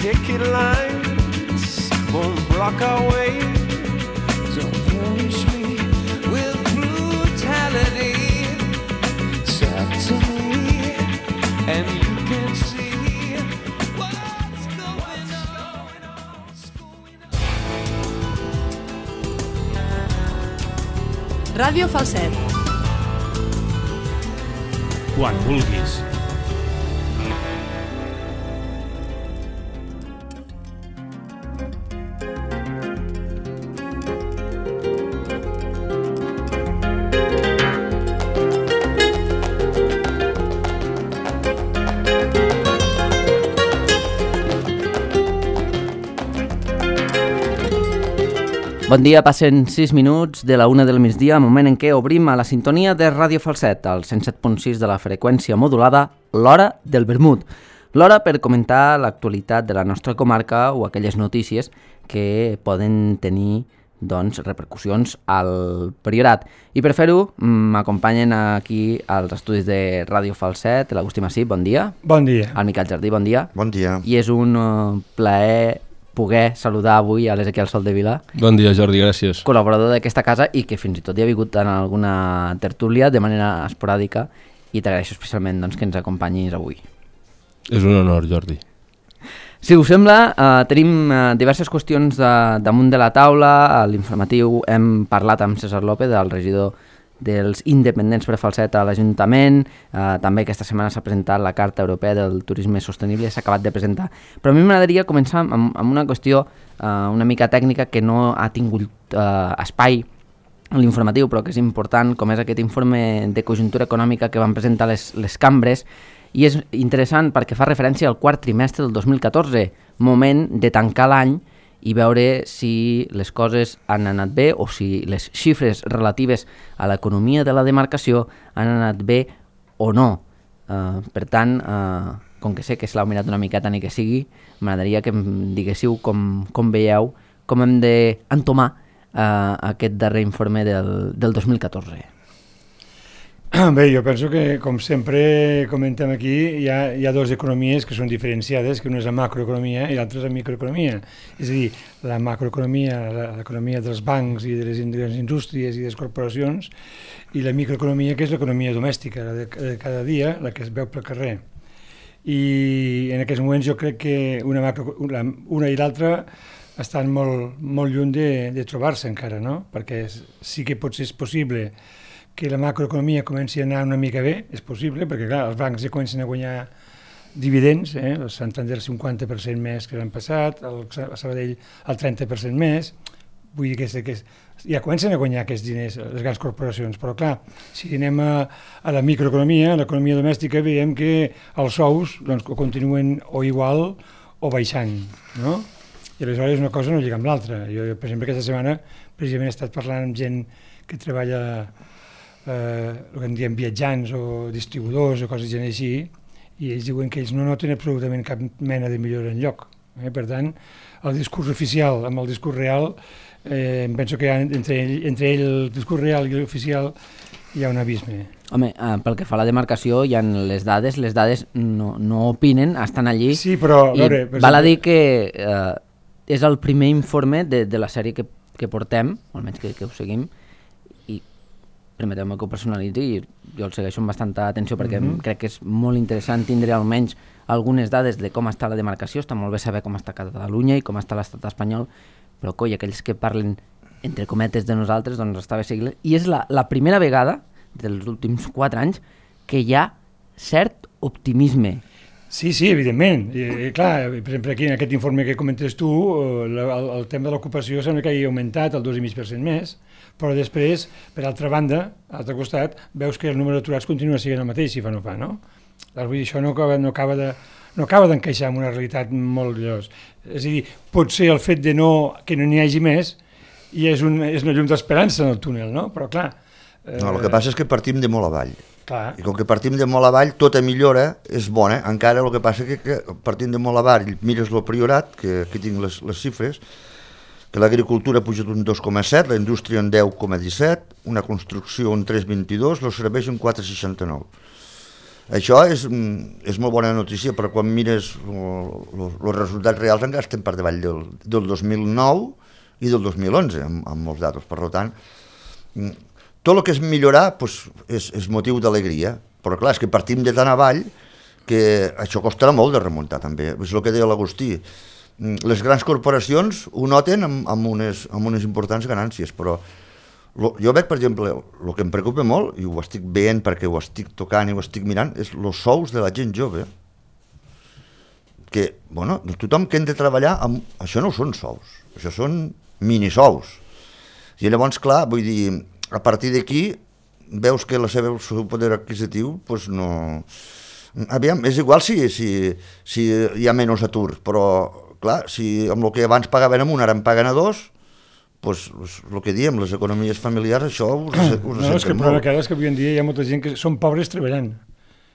picket lines won't block our way. Don't punish me with brutality. Talk to me and you can see what's going on. Ràdio Falset. Quan vulguis. Bon dia, passen 6 minuts de la 1 del migdia, moment en què obrim a la sintonia de Ràdio Falset, al 107.6 de la freqüència modulada, l'Hora del Vermut. L'hora per comentar l'actualitat de la nostra comarca o aquelles notícies que poden tenir repercussions al Priorat. I per fer-ho m'acompanyen aquí als estudis de Ràdio Falset l'Agustí Massip, bon dia. Bon dia. El Miquel Jardí, bon dia. Bon dia. I és un plaer poder saludar avui a l'Ezequiel Soldevila. Bon dia, Jordi, gràcies. Col·laborador d'aquesta casa i que fins i tot hi ha vingut en alguna tertúlia de manera esporàdica i t'agraeixo especialment que ens acompanyis avui. És un honor, Jordi. Si us sembla, tenim diverses qüestions damunt de la taula. A l'informatiu hem parlat amb César López, el regidor dels independents per Falset a l'Ajuntament. També aquesta setmana s'ha presentat la Carta Europea del Turisme Sostenible, s'ha acabat de presentar. Però a mi m'agradaria començar amb una qüestió una mica tècnica que no ha tingut espai a l'informatiu, però que és important, com és aquest informe de conjuntura econòmica que van presentar les cambres, i és interessant perquè fa referència al quart trimestre del 2014, moment de tancar l'any i veure si les coses han anat bé o si les xifres relatives a l'economia de la demarcació han anat bé o no. Per tant, com que sé que s'ha mirat una miqueta ni que sigui, m'agradaria que em diguéssiu com veieu, com hem d'entomar aquest darrer informe del 2014. Bé, jo penso que, com sempre comentem aquí, hi ha dues economies que són diferenciades, que una és la macroeconomia i l'altra és la microeconomia. És a dir, la macroeconomia, l'economia dels bancs i de les indústries i de les corporacions, i la microeconomia, que és l'economia domèstica, la de cada dia, la que es veu pel carrer. I en aquests moments jo crec que una i l'altra estan molt lluny de trobar-se encara, no? Perquè sí que potser és possible que la macroeconomia comenci a anar una mica bé, és possible, perquè clar, els bancs ja comencen a guanyar dividends, el Santander el 50% més que l'any passat, el Sabadell el 30% més, vull dir que ja comencen a guanyar aquests diners les grans corporacions, però clar, si anem a la microeconomia, a l'economia domèstica, veiem que els sous continuen o igual o baixant, no? I aleshores una cosa no lliga amb l'altra. Jo, per exemple, aquesta setmana precisament he estat parlant amb gent que treballa el que en diem viatjants o distribuïdors o coses així, i ells diuen que ells no noten absolutament cap mena de millora enlloc. Per tant, el discurs oficial amb el discurs real, penso que entre el discurs real i l'oficial hi ha un abisme. Home, pel que fa a la demarcació, hi ha les dades no opinen, estan allí. Sí, però val a dir que és el primer informe de la sèrie que portem, almenys que ho seguim, permeteu-me que ho personalitzi i jo el segueixo amb bastanta atenció perquè crec que és molt interessant tindre almenys algunes dades de com està la demarcació. Està molt bé saber com està Catalunya i com està l'estat espanyol, però coi, aquells que parlen entre cometes de nosaltres, doncs està bé seguir. I és la primera vegada dels últims 4 anys que hi ha cert optimisme. Sí, evidentment. Clar, per exemple, aquí en aquest informe que comentes tu, el tema de l'ocupació sembla que hagi augmentat el 2,5% més, però després, per altra banda, a l'altre costat, veus que el número d'aturats continua sent el mateix, si fa no fa, no? Vull dir, això no acaba d'encaixar en una realitat molt llos. És a dir, potser el fet que no n'hi hagi més i és una llum d'esperança en el túnel, no? Però clar... No, el que passa és que partim de molt avall. Clar. I com que partim de molt avall, tota millora és bona, encara el que passa és que partim de molt avall, mires el Priorat, que aquí tinc les xifres, que l'agricultura ha pujat un 2,7, la indústria un 10,17, una construcció un 3,22, els serveis un 4,69. Això és molt bona notícia, però quan mires els resultats reals encara estem per davall del 2009 i del 2011, amb molts datos. Per tant, tot el que és millorar és motiu d'alegria, però clar, és que partim de tan avall que això costarà molt de remuntar també. És el que deia l'Agustí. Les grans corporacions ho noten amb unes importants ganàncies, però jo veig, per exemple, el que em preocupa molt, i ho estic veient perquè ho estic tocant i ho estic mirant, és els sous de la gent jove. Que, bueno, tothom que hem de treballar això no són sous, això són minisous. I llavors, clar, vull dir, a partir d'aquí veus que el seu poder adquisitiu doncs no... Aviam, és igual si hi ha menys atur, però, clar, si amb el que abans pagaven a un ara en paguen a dos, doncs el que diem, les economies familiars, això ho ressenten molt. No, és que el problema que ara és que avui en dia hi ha molta gent que són pobres treballant.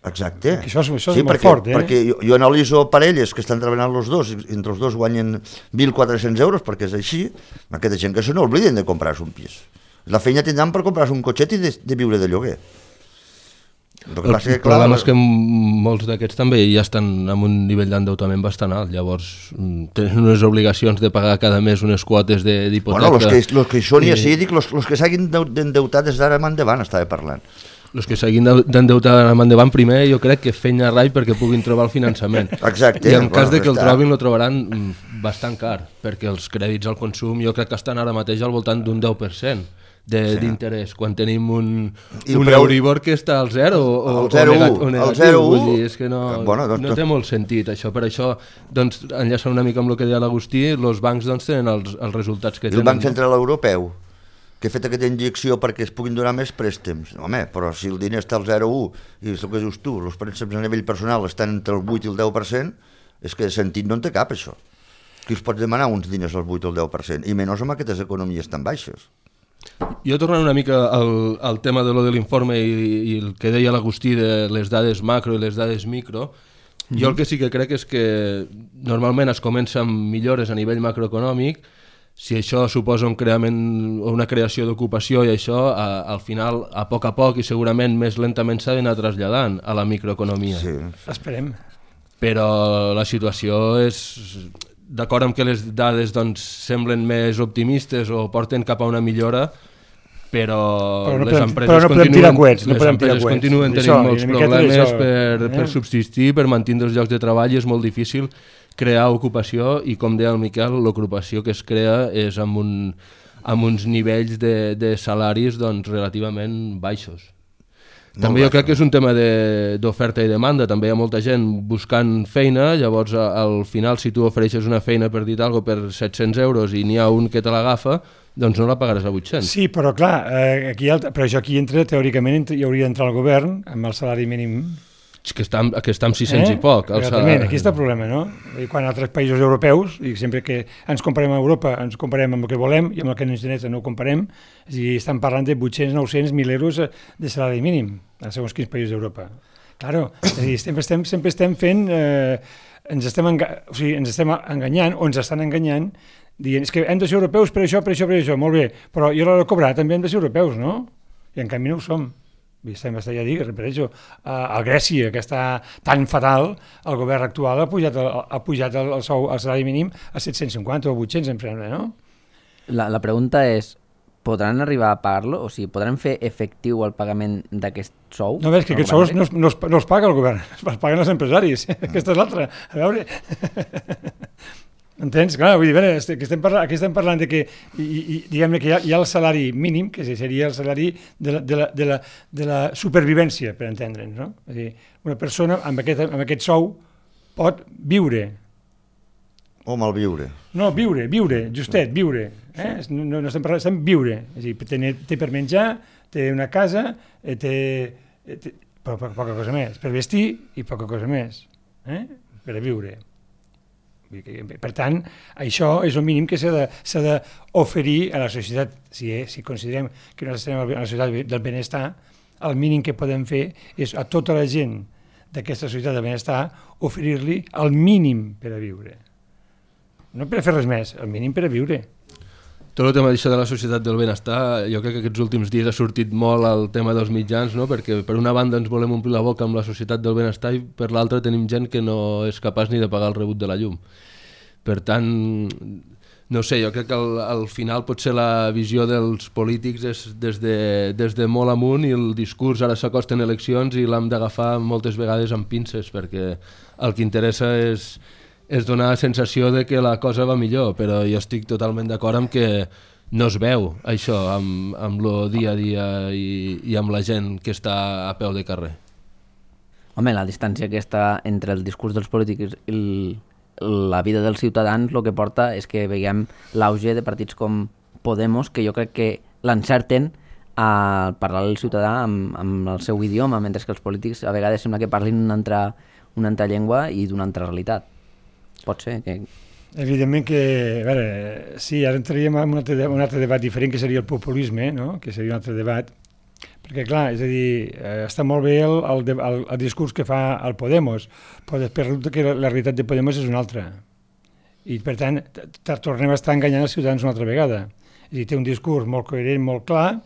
Exacte. Això és molt fort, perquè jo analitzo parelles que estan treballant els dos, entre els dos guanyen 1.400 euros, perquè és així, aquesta gent que se n'obliden de comprar-se un pis. La feina tindran per comprar-se un cotxet i de viure de lloguer. El problema és que molts d'aquests també ja estan amb un nivell d'endeutament bastant alt, llavors tenen unes obligacions de pagar cada mes unes quotes d'hipoteca. Bueno, els que són, ja sí, dic, els que s'hagin d'endeutar des d'ara endavant, estava parlant. Els que s'hagin d'endeutar endavant, primer jo crec que fenya rai perquè puguin trobar el finançament. Exacte. I en cas de que el trobin, el trobaran bastant car, perquè els crèdits al consum jo crec que estan ara mateix al voltant d'un 10%. D'interès, quan tenim un Euribor que està al 0 o negatiu, vull dir, és que no té molt sentit això. Per això, doncs, enllaçant una mica amb el que deia l'Agustí, els bancs tenen els resultats que tenen. El Banc Central Europeu, que ha fet aquesta injecció perquè es puguin donar més préstecs, home, però si el diner està al 0,1 i és el que dius tu, els préstecs a nivell personal estan entre el 8 i el 10%, és que de sentit no en té cap, això. Qui us pot demanar uns diners al 8 o al 10%, i menys amb aquestes economies tan baixes. Jo tornant una mica al tema de l'informe i el que deia l'Agustí de les dades macro i les dades micro, jo el que sí que crec és que normalment es comença amb millores a nivell macroeconòmic, si això suposa un creament o una creació d'ocupació i això, al final, a poc i segurament més lentament s'ha d'anar traslladant a la microeconomia. Sí, esperem. Però la situació és... D'acord amb que les dades semblen més optimistes o porten cap a una millora, però les empreses continuen tenint molts problemes per subsistir, per mantenir els llocs de treball, i és molt difícil crear ocupació, i com deia el Miquel, l'ocupació que es crea és amb uns nivells de salaris relativament baixos. També jo crec que és un tema d'oferta i demanda, també hi ha molta gent buscant feina, llavors al final si tu ofereixes una feina per dir alguna cosa per 700 euros i n'hi ha un que te l'agafa, doncs no la pagaràs a 800. Sí, però clar, però això aquí entra, teòricament hi hauria d'entrar el govern amb el salari mínim. Que està amb 600 i poc. Aquí està el problema, no? I quan altres països europeus, i sempre que ens comparem a Europa, ens comparem amb el que volem i amb el que ens interessa no ho comparem, i estan parlant de 800, 900, 1.000 euros de salari mínim a segons quins països d'Europa. Claro, és a dir, sempre estem fent... ens estem enganyant, o ens estan enganyant, dient que hem de ser europeus per això, molt bé, però i a l'hora de cobrar també hem de ser europeus, no? I en canvi no ho som. Ja dic, repeteixo, a Grècia, que està tan fatal, el govern actual ha pujat el salari mínim a 750 o 800, em sembla, no? La pregunta és, podran arribar a pagar-lo? O sigui, podran fer efectiu el pagament d'aquest sou? No, és que aquests sous no els paga el govern, els paguen els empresaris. Aquesta és l'altra. A veure... Entens? Clar, vull dir, aquí estem parlant de que, diguem-ne que hi ha el salari mínim, que seria el salari de la supervivència, per entendre'ns, no? És a dir, una persona amb aquest sou pot viure. O malviure. No, viure, justet, viure. No estem parlant, estem viure. És a dir, té per menjar, té una casa, té poca cosa més, per vestir i poca cosa més, per a viure. Per tant, això és el mínim que s'ha d'oferir a la societat. Si considerem que nosaltres estem a la societat del benestar, el mínim que podem fer és a tota la gent d'aquesta societat del benestar oferir-li el mínim per a viure. No per a fer res més, el mínim per a viure. Tot el tema d'això de la societat del benestar, jo crec que aquests últims dies ha sortit molt el tema dels mitjans, no? Perquè per una banda ens volem omplir la boca amb la societat del benestar i per l'altra tenim gent que no és capaç ni de pagar el rebut de la llum. Per tant, no sé, jo crec que al final potser la visió dels polítics és des de molt amunt i el discurs ara s'acosten eleccions i l'hem d'agafar moltes vegades amb pinces perquè el que interessa és donar la sensació de que la cosa va millor, però jo estic totalment d'acord amb que no es veu això amb el dia a dia i amb la gent que està a peu de carrer. Home, la distància aquesta entre el discurs dels polítics i la vida dels ciutadans el que porta és que veiem l'auge de partits com Podemos, que jo crec que l'encerten a parlar al ciutadà amb el seu idioma, mentre que els polítics a vegades sembla que parlin una altra llengua i d'una altra realitat. Pot ser que... Evidentment que, a veure, sí, ara entraríem en un altre debat diferent, que seria el populisme, no? Que seria un altre debat, perquè clar, és a dir, està molt bé el discurs que fa el Podemos, però després resulta que la realitat de Podemos és una altra, i per tant tornem a estar enganyant els ciutadans una altra vegada. És a dir, té un discurs molt coherent, molt clar,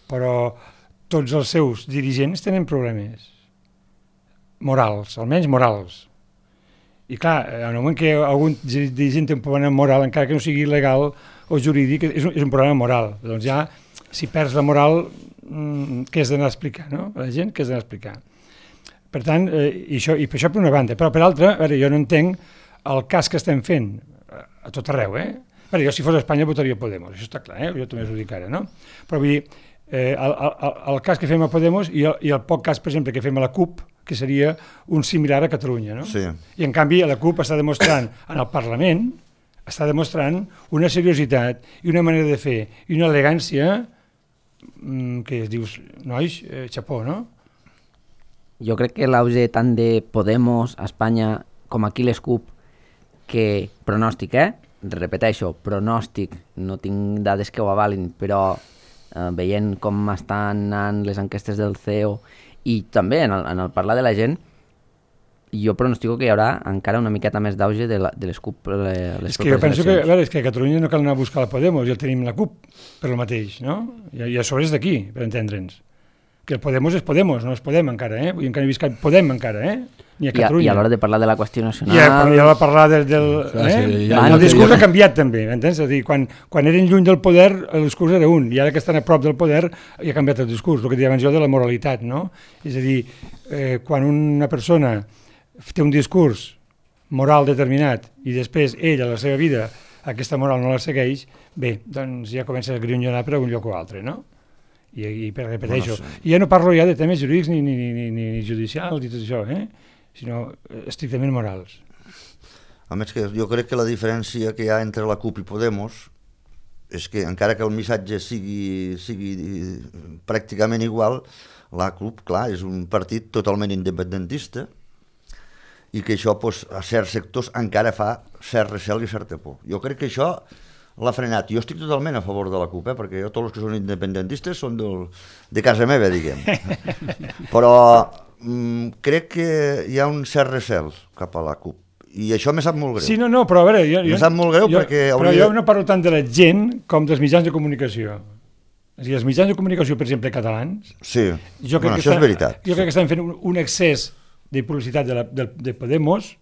però tots els seus dirigents tenen problemes morals, almenys morals. I clar, en el moment que algun dirigent té un problema moral, encara que no sigui legal o jurídic, és un problema moral. Doncs ja, si perds la moral, què has d'anar a explicar, no? A la gent, què has d'anar a explicar? Per tant, i per això per una banda. Però per altra, a veure, jo no entenc el cas que estem fent a tot arreu, A veure, jo si fos a Espanya votaria Podemos, això està clar, jo també us ho dic ara, no? Però vull dir, el cas que fem a Podemos i el poc cas, per exemple, que fem a la CUP, que seria un similar a Catalunya, no? Sí. I en canvi la CUP està demostrant en el Parlament, està demostrant una seriositat i una manera de fer i una elegància que dius, nois, xapó, no? Jo crec que l'auge tant de Podemos a Espanya com aquí les CUP, que pronòstic, repeteixo, pronòstic, no tinc dades que ho avalin, però veient com estan anant les enquestes del CEO i també en el parlar de la gent, jo pronostico que hi haurà encara una miqueta més d'auge de les CUP les és que jo penso que, a veure, és que a Catalunya no cal anar a buscar la Podemos, ja tenim la CUP per el mateix, no? I a sobre és d'aquí, per entendre'ns. Que el Podemos és Podemos, no és Podem encara, Vull dir, encara he vist que Podem encara, ni a Catalunya. I a l'hora de parlar de la qüestió nacional... I a l'hora de parlar el discurs ha canviat també, m'entens? És a dir, quan eren lluny del poder, el discurs era un, i ara que estan a prop del poder ja ha canviat el discurs, el que deia abans jo de la moralitat, no? És a dir, quan una persona té un discurs moral determinat i després ell a la seva vida aquesta moral no la segueix, bé, doncs ja comença a grunyonar per un lloc o altre, no? I repeteixo, i ja no parlo ja de temes jurídics ni judicials i tot això, sinó estrictament morals. A més, que jo crec que la diferència que hi ha entre la CUP i Podemos és que encara que el missatge sigui pràcticament igual, la CUP, clar, és un partit totalment independentista i que això a certs sectors encara fa cert recel i certa por. Jo crec que això l'ha frenat. Jo estic totalment a favor de la CUP, perquè jo tots els que són independentistes són de casa meva, diguem. Però crec que hi ha un cert recel cap a la CUP. I això me sap molt greu. Sí, no, però a veure... Me sap molt greu perquè... Però jo no parlo tant de la gent com dels mitjans de comunicació. És a dir, els mitjans de comunicació, per exemple, catalans... Sí, això és veritat. Jo crec que estan fent un excés de publicitat de Podemos,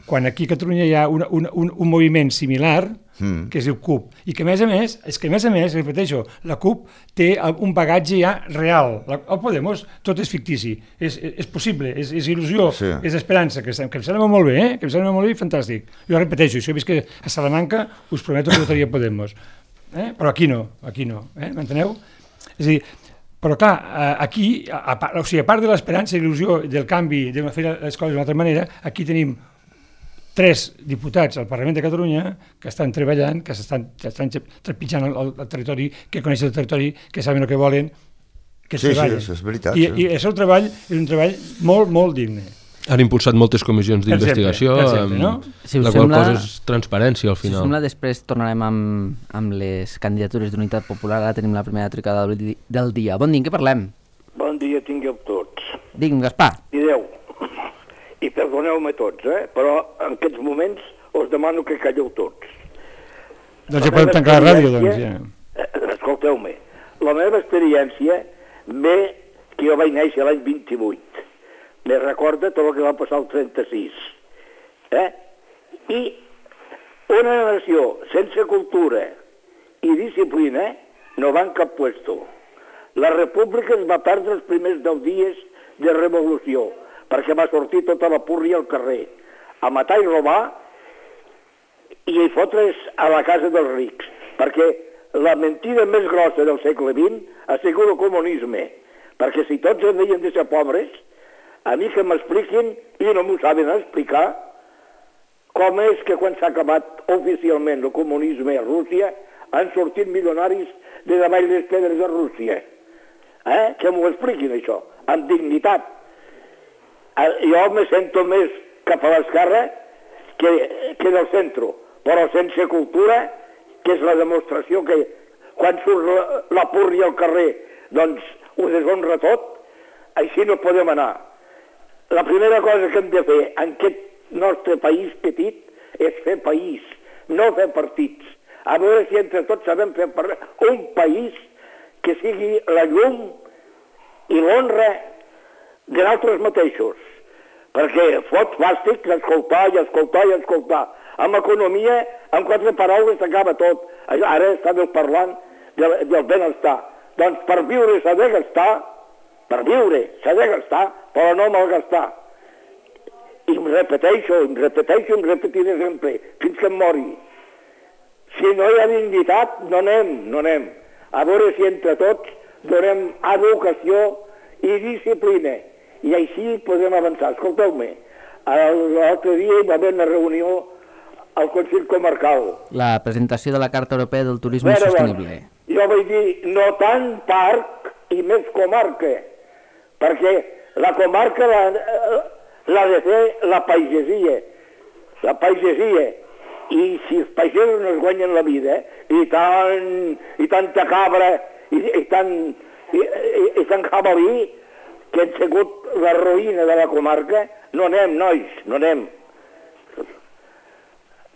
quan aquí a Catalunya hi ha un moviment similar que es diu CUP, i que a més a més, repeteixo, la CUP té un bagatge ja real. El Podemos tot és fictici, és possible, és il·lusió, és esperança, que em sembla molt bé, que em sembla molt bé i fantàstic. Jo repeteixo, si jo visc a Salamanca, us prometo que votaria Podemos. Però aquí no, m'enteneu? És a dir, però clar, aquí, a part de l'esperança i l'il·lusió del canvi, de fer les coses d'una altra manera, aquí tenim 3 diputats al Parlament de Catalunya que estan treballant, que estan trepitjant el territori, que coneixen el territori, que saben el que volen, que treballen. Sí, és veritat. I el seu treball és un treball molt, molt digne. Han impulsat moltes comissions d'investigació, no? La qual cosa és transparència al final. Si us sembla, després tornarem amb les candidatures d'Unitat Popular. Ara tenim la primera trucada del dia. Bon dia, què parlem? Bon dia, tingueu tots. Digue'm, Gaspar. Direu, i perdoneu-me tots, però en aquests moments us demano que calleu tots. Doncs ja podem tancar la ràdio, doncs, ja. Escolteu-me, la meva experiència ve que jo vaig néixer l'any 28. Me recorda tot el que va passar el 36. I una nació sense cultura i disciplina no va en cap puesto. La república es va perdre els primers 10 dies de revolució, perquè va sortir tota la púrria al carrer, a matar i robar i a fotre's a la casa dels rics, perquè la mentida més grossa del segle XX ha sigut el comunisme, perquè si tots havien de ser pobres, a mi que m'expliquin, i no m'ho saben explicar, com és que quan s'ha acabat oficialment el comunisme a Rússia han sortit milionaris de davall les pedres de Rússia. Que m'ho expliquin això, amb dignitat. Jo me sento més cap a l'esquerra que del centre, però sense cultura, que és la demostració que quan surt la púrria al carrer doncs ho deshonra tot, així no podem anar. La primera cosa que hem de fer en aquest nostre país petit és fer país, no fer partits. A veure si entre tots sabem fer un país que sigui la llum i l'honra de nosaltres mateixos. Perquè fot fàstic escoltar i escoltar i escoltar. Amb economia, amb 4 paraules s'acaba tot. Ara estàveu parlant del benestar. Doncs per viure s'ha de gastar, però no malgastar. I em repetiré sempre, fins que em mori. Si no hi ha dignitat, no anem. A veure si entre tots donem educació i disciplina. I així podem avançar. Escolteu-me, l'altre dia hi va haver una reunió al Consell Comarcal. La presentació de la Carta Europea del Turisme Sostenible. Jo vaig dir, no tant parc i més comarca, perquè la comarca l'ha de fer la pagesia. I si els pagesos no es guanyen la vida, i tanta cabra, i tant jabalí, que han sigut la ruïna de la comarca, no anem, nois, no anem.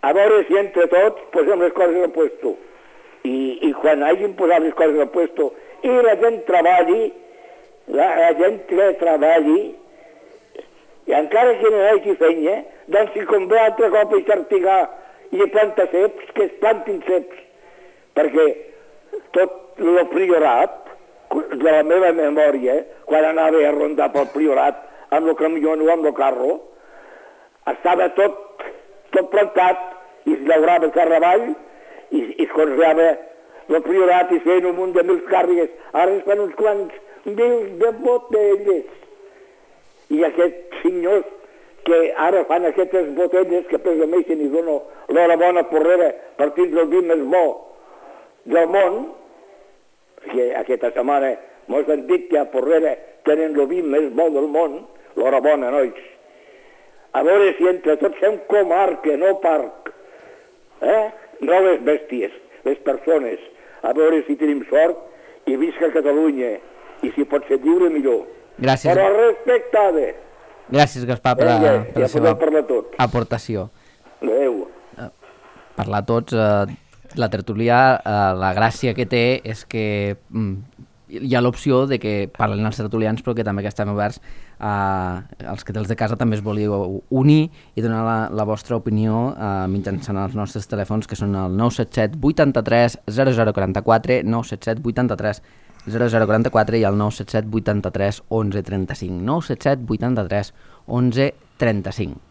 A veure si entre tots posem les coses al puesto. I quan hagin posat les coses al puesto i la gent treballi, i encara que no hi hagi feina, doncs si convé altre cop a xartigar i a plantar ceps, que es plantin ceps. Perquè tot el priorat, de la meva memòria, quan anava a rondar pel priorat amb el camió o amb el carro, estava tot plantat i es llaurava terra avall i es conreava el priorat i feien un munt de mil càrregues. Ara es fan uns quants mil de botelles. I aquests senyors que ara fan aquestes botelles que presumeixen i donen l'hora bona porrera per tindre el vi més bo del món, que aquesta setmana mos han dit que a Porrera tenen el vi més bo del món, l'hora bona, nois. A veure si entre tots fem comarca, no parc. No les bèsties, les persones. A veure si tenim sort i visca Catalunya. I si pot ser lliure, millor. Gràcies. Però respectada. Gràcies, Gaspar, per la seva aportació. Adéu. Parlar tots, la tertúlia, la gràcia que té és que hi ha l'opció de que parlen els tertulians, però que també que estem oberts els que dels de casa també es volíeu unir i donar la vostra opinió mitjançant els nostres telèfons, que són el 977 83 0044, 977 83 0044 i el 977 83 11 35, 977 83 11 35.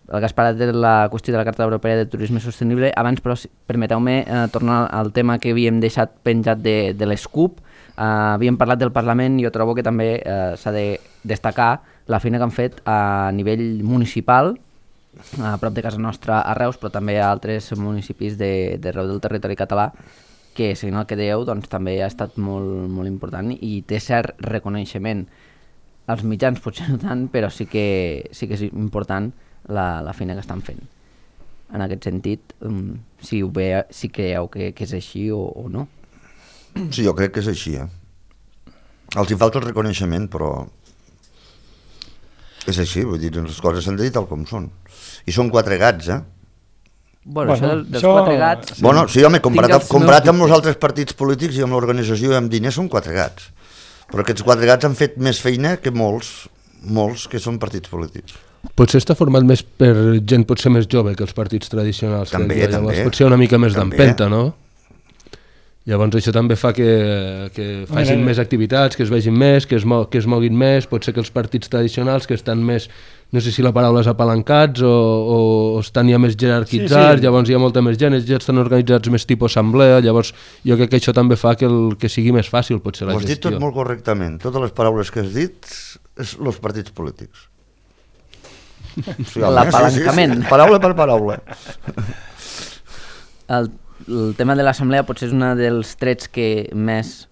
El Gaspar ha dit la qüestió de la Carta Europea de Turisme Sostenible. Abans, però, permeteu-me tornar al tema que havíem deixat penjat de l'ESCUP. Havíem parlat del Parlament i jo trobo que també s'ha de destacar la feina que han fet a nivell municipal, a prop de casa nostra a Reus, però també a altres municipis d'arreu del territori català, que, seguint el que dèieu, doncs, també ha estat molt, molt important i té cert reconeixement. Els mitjans potser no tant, però sí que és important la feina que estan fent. En aquest sentit, si creieu que és així o no. Sí, jo crec que és així. Els hi falta el reconeixement, però és així, vull dir, les coses s'han de dir tal com són. I són 4 gats, Bueno, això dels 4 gats... Bueno, sí, home, comparat amb els altres partits polítics i amb l'organització i amb diners són 4 gats. Però aquests 4 gats han fet més feina que molts que són partits polítics. Potser està format més per gent potser més jove que els partits tradicionals. També. Potser una mica més d'empenta, no? Llavors això també fa que facin més activitats, que es vegin més, que es moguin més, pot ser que els partits tradicionals que estan més, no sé si la paraula és apalancats o estan ja més jerarquitzats, llavors hi ha molta més gent, ja estan organitzats més tipus assemblea, llavors jo crec que això també fa que sigui més fàcil potser la gestió. Ho has dit tot molt correctament, totes les paraules que has dit és els partits polítics. L'apalancament. Paraula per paraula. El tema de l'assemblea potser és un dels trets que més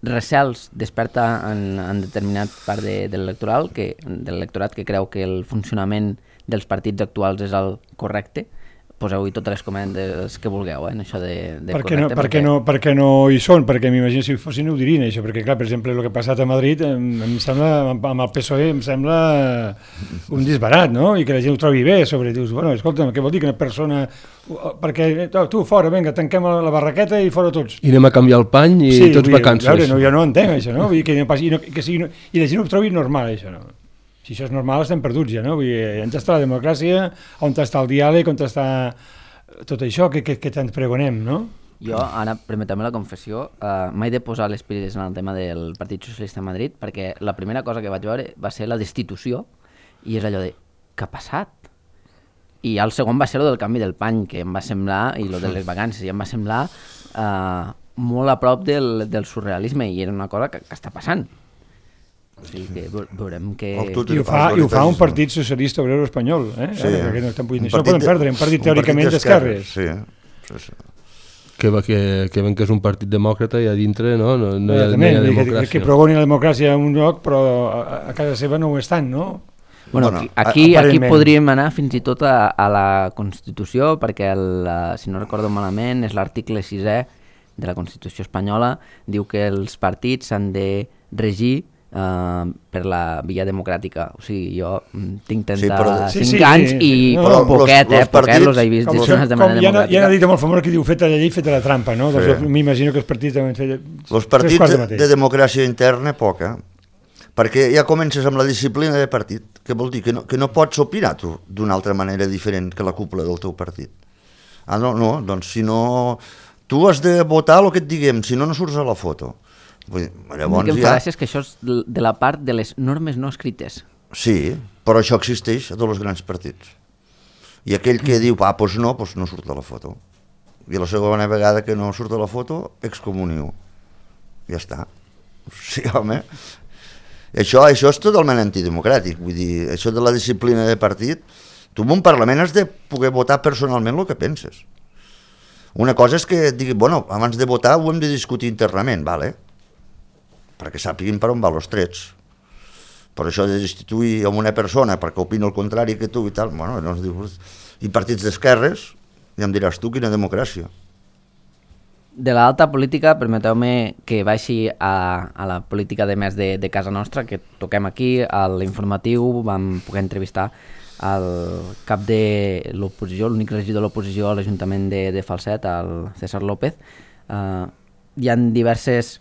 recels desperta en determinat part de l'electorat que creu que el funcionament dels partits actuals és el correcte. Poseu-hi totes les comentes que vulgueu en això de correcte. Perquè no hi són, perquè m'imagino si hi fossin ho dirien això, perquè clar, per exemple, el que ha passat a Madrid em sembla, amb el PSOE em sembla un disbarat, no? I que la gent ho trobi bé, dius, bueno, escolta'm, què vol dir que una persona, perquè tu fora, vinga, tanquem la barraqueta i fora tots. I anem a canviar el pany i tots vacances. Veure, jo no entenc això, no? Vull dir i la gent ho trobi normal, això, no? Si això és normal, estem perduts ja, no? Vull dir, on està la democràcia, on està el diàleg, on està tot això que tant pregonem, no? Jo, ara, permeteu-me la confessió, m'he de posar les piles en el tema del Partit Socialista de Madrid, perquè la primera cosa que vaig veure va ser la destitució, i és allò de, què ha passat? I el segon va ser el del canvi del pany, que em va semblar, i el de les vacances, i em va semblar molt a prop del surrealisme, i era una cosa que està passant. O sigui que veurem que... I ho fa un partit socialista obrer espanyol, Sí. Això no poden perdre, un partit teòricament d'esquerres. Sí. Que ven que és un partit demòcrata i a dintre no hi ha democràcia. Que progoni la democràcia en un lloc, però a casa seva no ho estan, no? Bueno, aquí podríem anar fins i tot a la Constitució, perquè si no recordo malament és l'article 6è de la Constitució espanyola, diu que els partits s'han de regir per la via democràtica. O sigui, jo tinc 35 anys i poquet els he vist gestionats de manera democràtica. Hi ha una dita molt famosa que diu feta la llei, feta la trampa, no? Doncs m'imagino que els partits deuen fer els partits de democràcia interna, poca, perquè ja comences amb la disciplina de partit, que vol dir que no pots opinar tu d'una altra manera diferent que la cúpula del teu partit. No, doncs si no... Tu has de votar el que et diguem, si no surts a la foto. Llavors, el que em fa gràcia és que això és de la part de les normes no escrites. Sí, però això existeix a tots els grans partits. I aquell que diu, doncs no surt a la foto. I la segona vegada que no surt a la foto, excomunió. Ja està. Sí, home. Això és totalment antidemocràtic. Vull dir, això de la disciplina de partit, tu en un Parlament has de poder votar personalment el que penses. Una cosa és que digui, abans de votar ho hem de discutir internament, vale? Perquè sàpiguin per on van els trets. Per això de destituir a una persona perquè opina el contrari que tu i tal, i partits d'esquerres, ja em diràs tu quina democràcia. De l'alta política, permeteu-me que baixi a la política de més de casa nostra, que toquem aquí, a l'informatiu, vam poder entrevistar el cap de l'oposició, l'únic regidor de l'oposició a l'Ajuntament de Falset, el César López. Hi ha diverses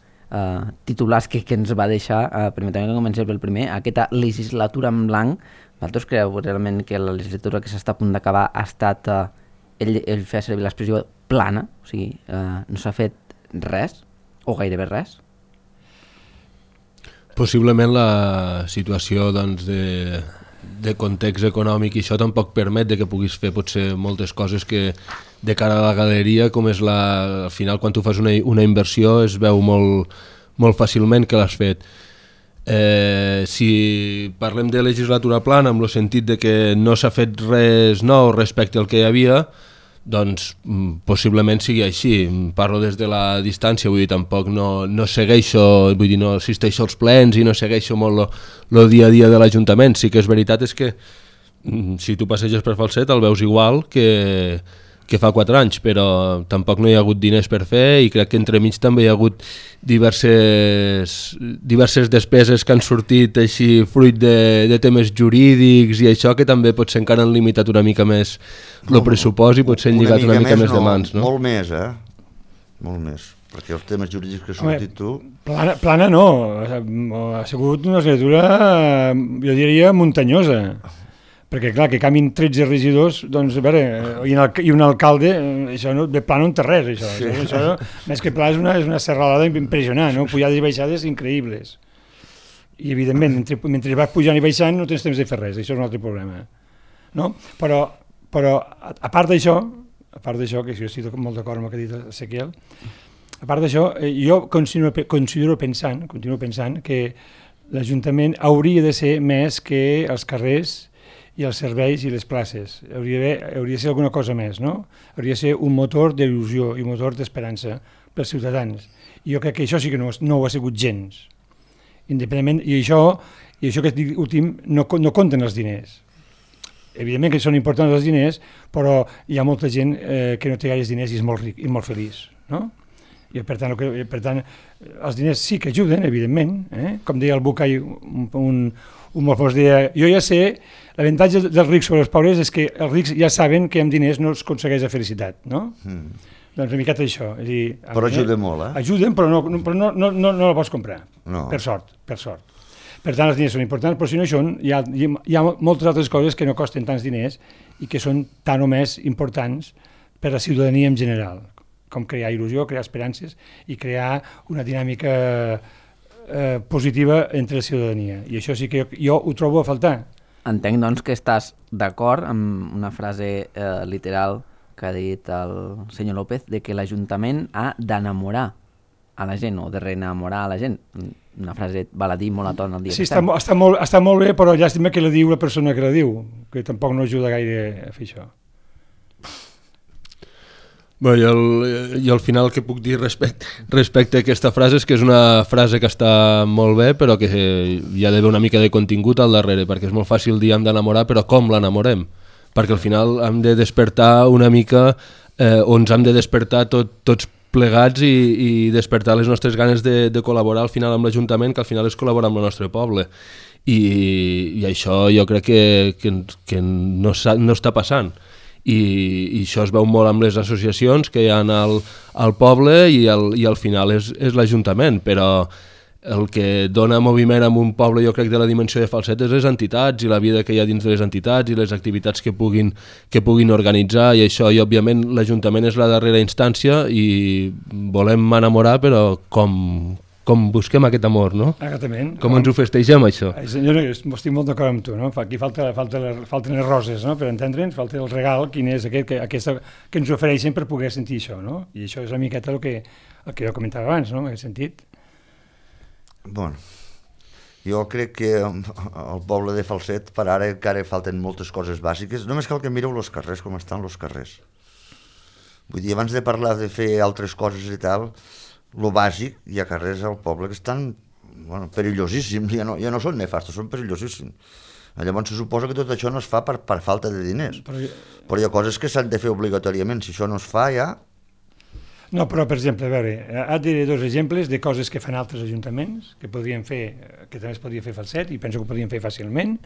titulars que ens va deixar, permeteu-me que comencem pel primer, aquesta legislatura en blanc. Vosaltres creu realment que la legislatura que s'està a punt d'acabar ha estat, ell feia servir l'expressió plana, o sigui, no s'ha fet res, o gairebé res? Possiblement la situació de context econòmic i això tampoc permet que puguis fer potser moltes coses que de cara a la galeria, com és al final quan tu fas una inversió es veu molt fàcilment que l'has fet. Si parlem de legislatura plana en el sentit de que no s'ha fet res nou respecte al que hi havia, doncs possiblement sigui així. Parlo des de la distància, vull dir, tampoc no segueixo, vull dir, no assisteixo als plens i no segueixo molt el dia a dia de l'Ajuntament. Sí que és veritat és que si tu passeges per Falset el veus igual que que fa 4 anys, però tampoc no hi ha hagut diners per fer i crec que entremig també hi ha hagut diverses despeses que han sortit així fruit de temes jurídics i això que també potser encara han limitat una mica més el pressupost i potser han lligat una mica més de mans. No? Molt més, molt més, perquè els temes jurídics que has sortit tu... Plana no, ha sigut una assignatura, jo diria, muntanyosa. Perquè, clar, que canvin 13 regidors, doncs, a veure, i un alcalde, això no, de pla no en té res, això. Sí. Això més que pla és una serralada impressionant, no? Pujades i baixades increïbles. I, evidentment, mentre vas pujant i baixant no tens temps de fer res, això és un altre problema. No? Però a part d'això, que jo estic molt d'acord amb el que ha dit Ezequiel, a part d'això, jo continuo pensant que l'Ajuntament hauria de ser més que els carrers i els serveis i les places. Hauria de ser alguna cosa més, no? Hauria de ser un motor d'il·lusió i un motor d'esperança pels ciutadans. I jo crec que això sí que no ho ha sigut gens. Independentment, i això que dic últim, no compten els diners. Evidentment que són importants els diners, però hi ha molta gent que no té gaires diners i és molt ric i molt feliç, no? I per tant, els diners sí que ajuden, evidentment. Com deia el Bucay, un molt fos, deia, jo ja sé, l'avantatge dels rics sobre els pobres és que els rics ja saben que amb diners no es aconsegueix la felicitat, no? Doncs una miqueta això. És dir, però ajuda molt, Ajuden, però no la pots comprar, per sort. Per tant, els diners són importants, però si no hi ha moltes altres coses que no costen tants diners i que són tan o més importants per a la ciutadania en general, com crear il·lusió, crear esperances i crear una dinàmica positiva entre la ciutadania. I això sí que jo ho trobo a faltar. Entenc, doncs, que estàs d'acord amb una frase literal que ha dit el senyor López, de que l'Ajuntament ha d'enamorar a la gent o de reenamorar a la gent. Una frase val a dir molt a ton el dia que estem. Sí, està molt bé, però llàstima que la diu la persona que la diu, que tampoc no ajuda gaire a fer això. Bé, jo al final el que puc dir respecte a aquesta frase és que és una frase que està molt bé, però que hi ha d'haver una mica de contingut al darrere, perquè és molt fàcil dir hem d'enamorar, però com l'enamorem? Perquè al final hem de despertar una mica, o ens hem de despertar tots plegats i despertar les nostres ganes de col·laborar al final amb l'Ajuntament, que al final és col·laborar amb el nostre poble. I això jo crec que no està passant. I això es veu molt amb les associacions que hi ha al poble i al final és l'Ajuntament, però el que dona moviment a un poble, jo crec, de la dimensió de Falset és les entitats i la vida que hi ha dins de les entitats i les activitats que puguin organitzar, i això, i òbviament l'Ajuntament és la darrera instància i volem enamorar, però com busquem aquest amor, no? Exactament. Com ens ho festegem, això? Jo estic molt d'acord amb tu, no? Aquí falten les roses, no? Per entendre'ns, falta el regal, quin és aquest que ens ofereixen per poder sentir això, no? I això és una miqueta el que jo comentava abans, no? En aquest sentit. Bueno, jo crec que al poble de Falset per ara encara falten moltes coses bàsiques. Només cal que mireu els carrers, com estan els carrers. Vull dir, abans de parlar de fer altres coses i tal, lo bàsic, hi ha carrers al poble que estan perillosíssims, ja no són nefastos, són perillosíssims. Llavors se suposa que tot això no es fa per falta de diners, però hi ha coses que s'han de fer obligatòriament, si això no es fa ja... No, però per exemple, a veure, et diré dos exemples de coses que fan altres ajuntaments, que podrien fer, que també es podria fer Falset, i penso que ho podrien fer fàcilment,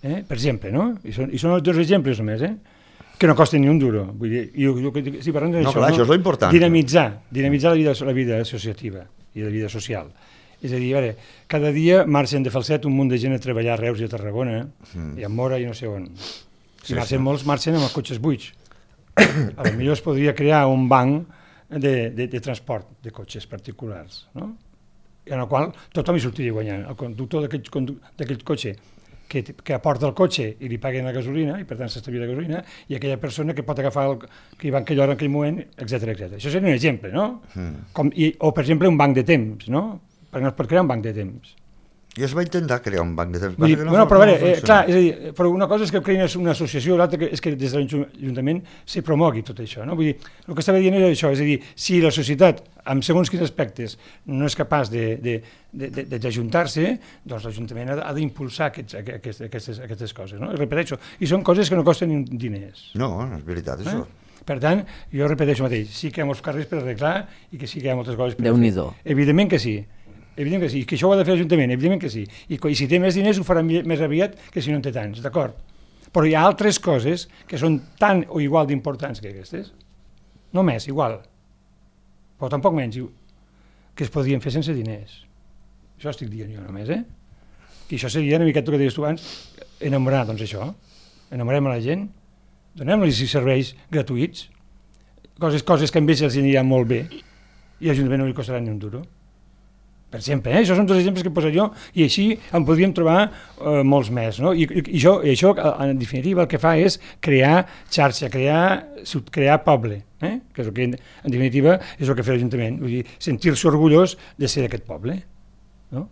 per exemple, no? I són dos exemples només, que no costen ni un duro. Vull dir, si parlem d'això, clar, això és l'important. Dinamitzar la vida associativa i la vida social. És a dir, a veure, cada dia marxen de Falset un munt de gent a treballar a Reus i a Tarragona, i a Mora i no sé on. I molts marxen amb els cotxes buits. Potser es podria crear un banc de transport de cotxes particulars, no? En el qual tothom hi sortiria guanyant. El conductor d'aquell cotxe que aporta el cotxe i li paguen la gasolina, i per tant s'estalvia la gasolina, i aquella persona que pot agafar que hi va en aquella hora, en aquell moment, etc. Això seria un exemple, no? O, per exemple, un banc de temps, no? Per crear un banc de temps. I es va intentar crear un banc de temps. Però a veure, clar, és a dir, però una cosa és que creïn una associació, l'altra és que des de l'Ajuntament se promogui tot això, no? Vull dir, el que estava dient era això, és a dir, si la societat, amb segons quins aspectes, no és capaç d'ajuntar-se, doncs l'Ajuntament ha d'impulsar aquestes coses, no? I repeteixo, i són coses que no costen diners. No, és veritat, això. Per tant, jo repeteixo mateix, sí que hi ha molts carrers per arreglar i que sí que hi ha moltes coses per Déu-n'hi-do. fer. Evidentment que sí. Evidentment que sí. I que això ho ha de fer l'Ajuntament, evidentment que sí. I si té més diners ho farà més aviat que si no en té tants, d'acord? Però hi ha altres coses que són tan o igual d'importants que aquestes. No més, igual. Però tampoc menys, que es podrien fer sense diners. Això estic dient jo només, I això seria una miqueta el que deies tu abans, enamorar, doncs això. Enamorem a la gent, donem-los serveis gratuïts, coses que a ells els aniran molt bé, i l'Ajuntament no li costarà ni un duro. Per exemple, això són dos exemples que he posat jo, i així en podríem trobar molts més. No? I això, en definitiva, el que fa és crear xarxa, crear poble, que és el que, en definitiva, és el que fa l'Ajuntament, vull dir, sentir-se orgullós de ser d'aquest poble. No?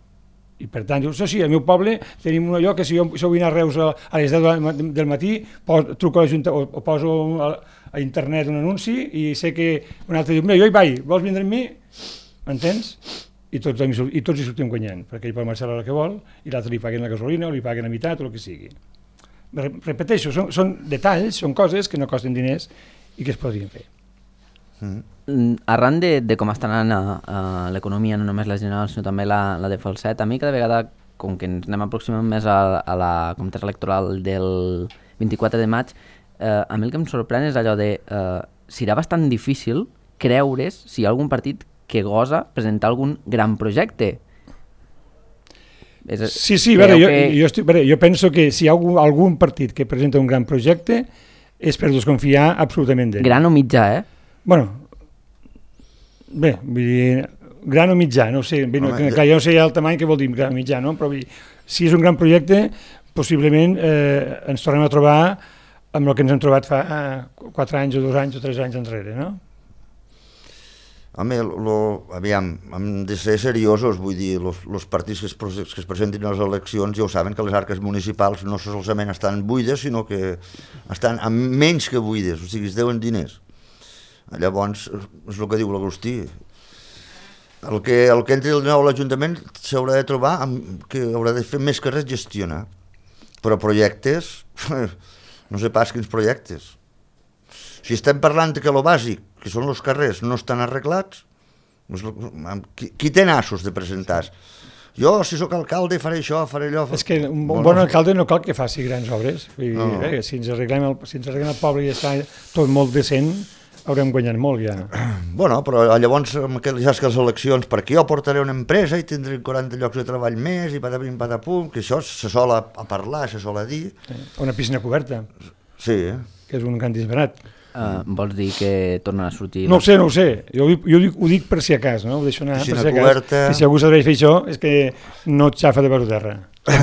I per tant, dius, sí, al meu poble tenim un lloc que si jo vull anar a Reus a les 10 del matí, truco a l'Ajuntament o poso a internet un anunci i sé que un altre diu, mira, jo hi vaig, vols vindre amb mi? M'entens? I tots hi sortim guanyant, perquè ell pot marxar a l'hora que vol i l'altre li paguen la gasolina o li paguen a meitat o el que sigui. Repeteixo, són detalls, són coses que no costen diners i que es podrien fer. Arran de com està anant l'economia, no només la general, sinó també la de Falset, a mi cada vegada, com que ens anem aproximant més a la comptesa electoral del 24 de maig, a mi el que em sorprèn és allò de serà bastant difícil creure's si hi ha algun partit que gosa presentar algun gran projecte. Sí, jo penso que si hi ha algun partit que presenta un gran projecte és per desconfiar absolutament d'ell. Gran o mitjà, Bueno, bé, vull dir, gran o mitjà, no sé, bé, clar, jo no sé el tamany que vol dir gran o mitjà, no? Però vull dir, si és un gran projecte, possiblement ens tornem a trobar amb el que ens hem trobat fa 4 anys o 2 anys o 3 anys enrere, no? Home, aviam, hem de ser seriosos, vull dir, els partits que es presentin a les eleccions ja ho saben que les arques municipals no solament estan buides, sinó que estan menys que buides, o sigui, es deuen diners. Llavors, és el que diu l'Agustí. El que entri el nou a l'Ajuntament s'haurà de trobar que haurà de fer més que res gestionar. Però projectes, no sé pas quins projectes. Si estem parlant que el bàsic, que són els carrers, no estan arreglats, qui té nassos de presentar? Jo, si sóc alcalde, faré això, faré allò... És que un bon alcalde no cal que faci grans obres. Si ens arreglem el poble i està tot molt decent, haurem guanyat molt ja. Bueno, però llavors, ja que les eleccions, perquè jo portaré una empresa i tindré 40 llocs de treball més i patapim, patapum, que això se sol a parlar, se sol a dir. Una piscina coberta. Sí. Que és un gran disbarat. Vols dir que tornen a sortir... No ho sé. Jo ho dic per si a cas, no? Ho deixo anar piscina per si a coberta... cas. Que si algú s'atreveix a fer això és que no et xafa de baix a terra.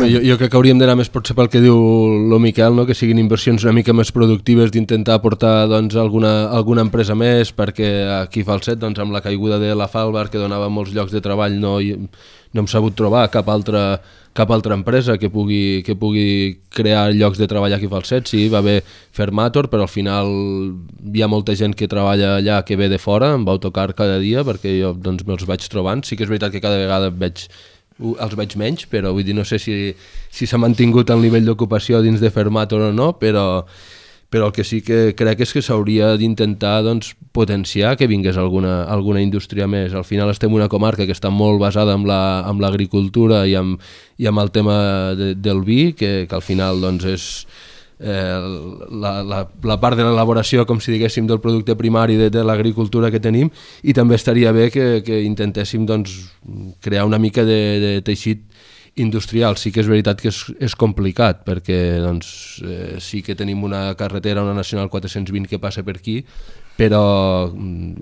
Jo crec que hauríem d'anar més potser pel que diu el Miquel, no? Que siguin inversions una mica més productives, d'intentar aportar doncs, alguna empresa més, perquè aquí a Falset, doncs, amb la caiguda de la Falbar, que donava molts llocs de treball, no hem sabut trobar cap altra empresa que pugui crear llocs de treball aquí a Falset. Sí, va haver Fermator, però al final hi ha molta gent que treballa allà que ve de fora, amb autocar cada dia, perquè jo doncs, me'ls vaig trobant. Sí que és veritat que cada vegada els veig menys, però vull dir, no sé si s'ha mantingut el nivell d'ocupació dins de Fermator o no, però el que sí que crec és que s'hauria d'intentar doncs, potenciar que vingués alguna indústria més. Al final estem en una comarca que està molt basada en l'agricultura i amb el tema del vi, que al final doncs, és la part de l'elaboració, com si diguéssim, del producte primari de l'agricultura que tenim, i també estaria bé que intentéssim doncs, crear una mica de teixit industrial. Sí que és veritat que és complicat, perquè doncs, sí que tenim una carretera, una nacional 420 que passa per aquí, però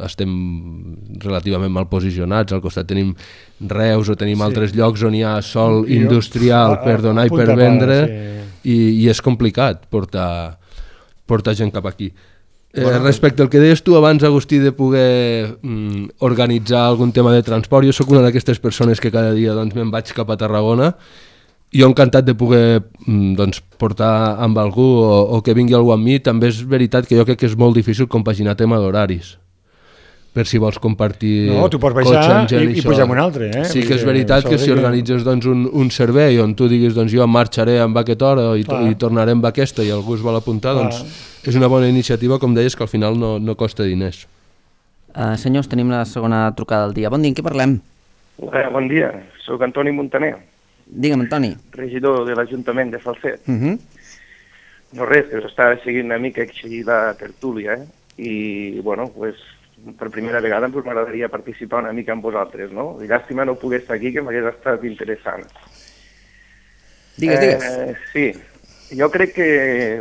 estem relativament mal posicionats. Al costat tenim Reus o tenim altres llocs on hi ha sòl industrial per donar i per vendre, i és complicat portar gent cap aquí. Respecte al que deies tu abans, Agustí, de poder organitzar algun tema de transport, jo sóc una d'aquestes persones que cada dia doncs, me'n vaig cap a Tarragona. Jo encantat de poder portar amb algú o que vingui algú amb mi. També és veritat que jo crec que és molt difícil compaginar tema d'horaris, per si vols compartir tu pots baixar i pujar amb un altre. Sí que és veritat que si organitzes doncs, un servei on tu diguis doncs, jo marxaré amb aquesta hora i tornaré amb aquesta i algú es vol apuntar, doncs és una bona iniciativa, com deies, que al final no costa diners. Senyors, tenim la segona trucada del dia. Bon dia, en què parlem? Bon dia, soc Antoni Montaner. Digue'm, Antoni. Regidor de l'Ajuntament de Falset. No res, que us estava seguint una mica així la tertúlia, i, bueno, pues, per primera vegada m'agradaria participar una mica amb vosaltres, no? I llàstima no pogués estar aquí, que m'hagués estat interessant. Digues. Sí, jo crec que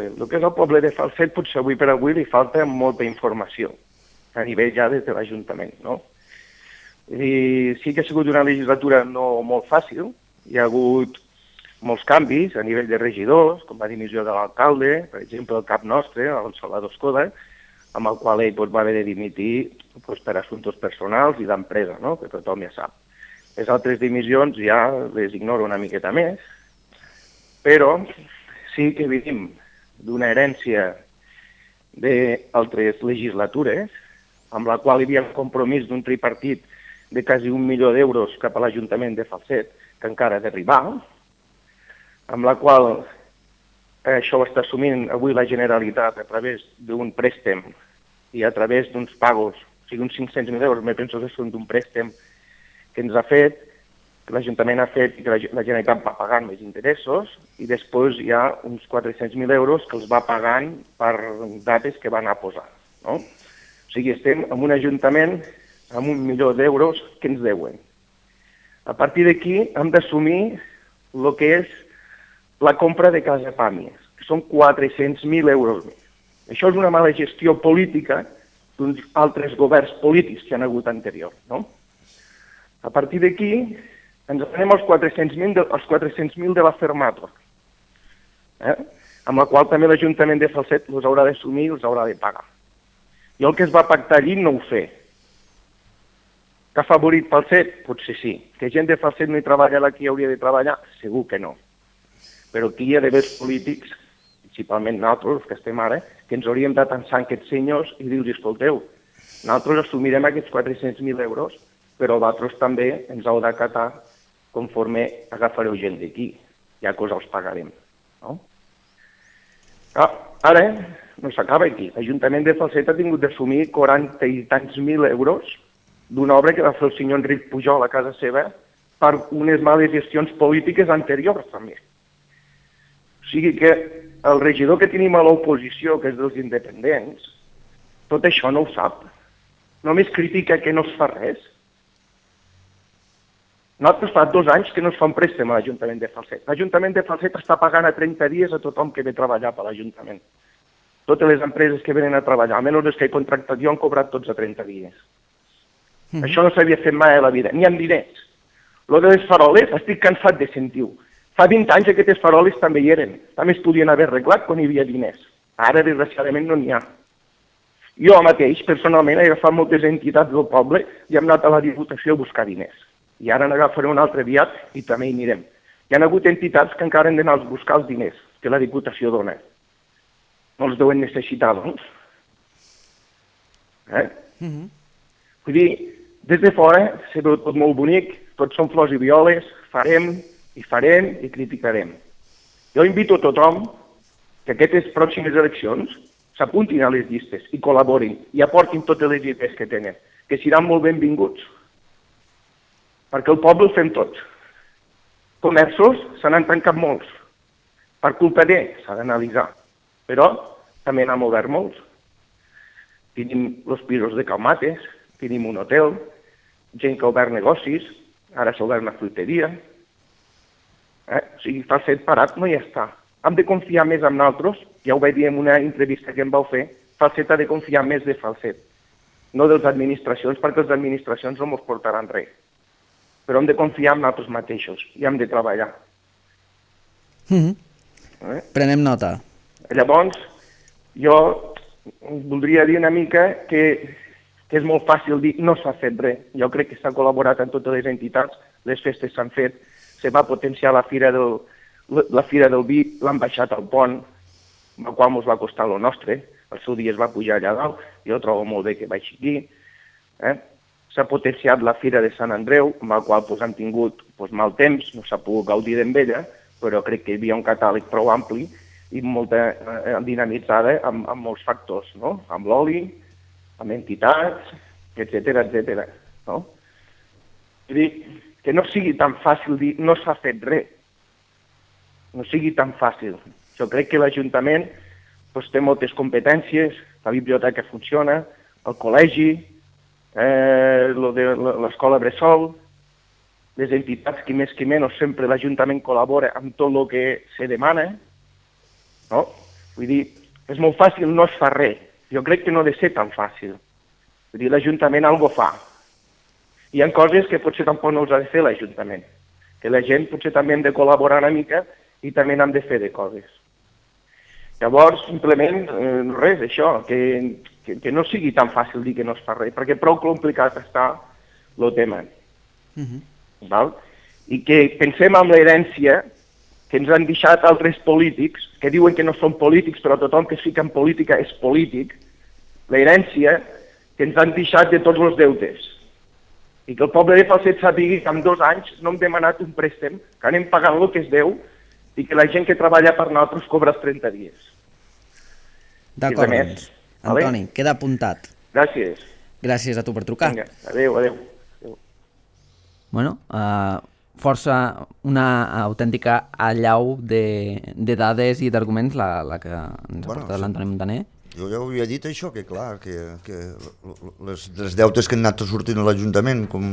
el que és el poble de Falset potser avui per avui li falta molta informació, a nivell ja des de l'Ajuntament, no? I sí que ha sigut una legislatura no molt fàcil, hi ha hagut molts canvis a nivell de regidors, com la dimissió de l'alcalde, per exemple, el cap nostre, el Salvador Escoda, amb el qual ell va haver de dimitir per assumptes personals i d'empresa, no? Que tothom ja sap. Les altres dimissions ja les ignoro una miqueta més, però sí que vivim d'una herència d'altres legislatures, amb la qual hi havia un compromís d'un tripartit de quasi 1 milió d'euros cap a l'Ajuntament de Falset, que encara ha d'arribar, amb la qual això ho està assumint avui la Generalitat a través d'un préstec i a través d'uns pagos, o sigui, uns 500.000 euros, me penso que són d'un préstec que ens ha fet, que l'Ajuntament ha fet i que la Generalitat va pagant més interessos, i després hi ha uns 400.000 euros que els va pagant per dates que van a posar, no? O sigui, estem en un Ajuntament amb 1 milió d'euros que ens deuen. A partir d'aquí hem d'assumir el que és la compra de Casa Pàmies, que són 400.000 euros més. Això és una mala gestió política d'uns altres governs polítics que han hagut anterior, no? A partir d'aquí ens anem als 400.000 de la Fermator, amb la qual també l'Ajuntament de Falset els haurà d'assumir i els haurà de pagar. Jo el que es va pactar allí no ho sé. Que ha favorit Falset? Potser sí. Que gent de Falset no hi treballa la que hi hauria de treballar? Segur que no. Però aquí hi ha d'haver polítics, principalment nosaltres, els que estem ara, que ens hauríem de tensar aquests senyors i dir-los, escolteu, nosaltres assumirem aquests 400.000 euros, però vosaltres també ens heu d'acatar conforme agafareu gent d'aquí, ja que us els pagarem. No? Ara no s'acaba aquí. L'Ajuntament de Falset ha tingut d'assumir 40 i tants mil euros d'una obra que va fer el senyor Enric Pujol a casa seva per unes males gestions polítiques anteriors, també. O sigui que el regidor que tenim a l'oposició, que és dels independents, tot això no ho sap. Només critica que no es fa res. Nosaltres fa 2 anys que no es fa un préstec a l'Ajuntament de Falset. L'Ajuntament de Falset està pagant a 30 dies a tothom que ve a treballar per l'Ajuntament. Totes les empreses que venen a treballar, almenys les que he contractat jo, han cobrat tots a 30 dies. Això no s'havia fet mai a la vida, ni amb diners. Lo de les faroles, estic cansat de sentir-ho. Fa 20 anys aquestes faroles també hi eren. També es podien haver arreglat quan hi havia diners. Ara, desgraciadament, no n'hi ha. Jo mateix, personalment, he agafat moltes entitats del poble i hem anat a la Diputació a buscar diners. I ara n'agafaré un altre aviat i també hi anirem. Hi ha hagut entitats que encara han d'anar a buscar els diners que la Diputació dona. No els deuen necessitar, doncs. Vull dir, des de fora se veu tot molt bonic, tots són flors i violes, farem i criticarem. Jo invito a tothom que aquestes pròximes eleccions s'apuntin a les llistes i col·laborin i aportin totes les idees que tenen, que seran molt benvinguts. Perquè el poble el fem tots. Comerços se n'han tancat molts. Per culpa s'ha d'analitzar. Però també n'han obert molts. Tenim els pisos de Calmates, tenim un hotel, gent que ha obert negocis, ara s'ha obert una fruiteria. O sigui, Falset parat no hi està. Hem de confiar més en nosaltres, ja ho vaig dir en una entrevista que em vau fer, Falset ha de confiar més de Falset, no de les administracions, perquè les administracions no ens portaran res. Però hem de confiar en nosaltres mateixos i hem de treballar. Prenem nota. Llavors, jo voldria dir una mica que és molt fàcil dir no s'ha fet res. Jo crec que s'ha col·laborat amb totes les entitats, les festes s'han fet, se va potenciar la Fira del Vi, l'han baixat al pont, el qual ens va costar el nostre, el seu dia es va pujar allà dalt, jo trobo molt bé que baixi aquí. S'ha potenciat la Fira de Sant Andreu, amb la qual hem tingut mal temps, no s'ha pogut gaudir d'ella, però crec que hi havia un catàleg prou ampli i dinamitzada amb molts factors, no? Amb l'oli, amb entitats, etcètera, no? Vull dir, que no sigui tan fàcil dir no s'ha fet res. No sigui tan fàcil. Jo crec que l'Ajuntament té moltes competències, la biblioteca funciona, el col·legi, l'escola bressol, les entitats que més que menys sempre l'Ajuntament col·labora amb tot el que se demana, no? Vull dir, és molt fàcil, no es fa res. Jo crec que no ha de ser tan fàcil. Vull dir, l'Ajuntament algo fa. Hi ha coses que potser tampoc no els ha de fer l'Ajuntament, que la gent potser també hem de col·laborar una mica i també n'hem de fer de coses. Llavors, simplement, res, això, que no sigui tan fàcil dir que no es fa res, perquè prou complicat està el tema. Val? I que pensem en l'herència que ens han deixat altres polítics, que diuen que no són polítics, però tothom que es fica en política és polític, l'herència que ens han deixat de tots els deutes. I que el poble de Falset sàpiga que en 2 anys no hem demanat un préstec, que anem pagant el que es deu i que la gent que treballa per nosaltres cobra els 30 dies. D'acord, doncs. Antoni, queda apuntat. Gràcies. Gràcies a tu per trucar. Vinga, adéu. Bueno, força una autèntica allau de dades i d'arguments la que ens ha portat l'Antoni Montaner. Jo ja ho havia dit això, que clar, que les deutes que han anat sortint a l'Ajuntament, com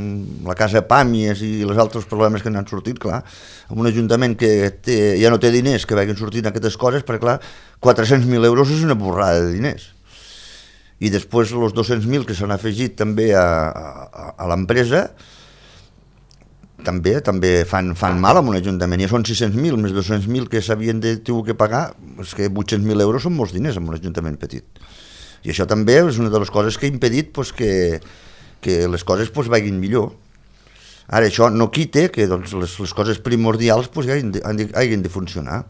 la casa Pàmies i els altres problemes que han anat sortint, clar, en un Ajuntament que ja no té diners que vagin sortint aquestes coses, perquè clar, 400.000 euros és una borrada de diners. I després els 200.000 que s'han afegit també a l'empresa, també fan mal a un Ajuntament. Ja són 600.000 més 200.000 que s'havien de tenir que pagar, és que 800.000 euros són molts diners en un Ajuntament petit. I això també és una de les coses que ha impedit que les coses vagin millor. Ara, això no quita que les coses primordials hagin de funcionar.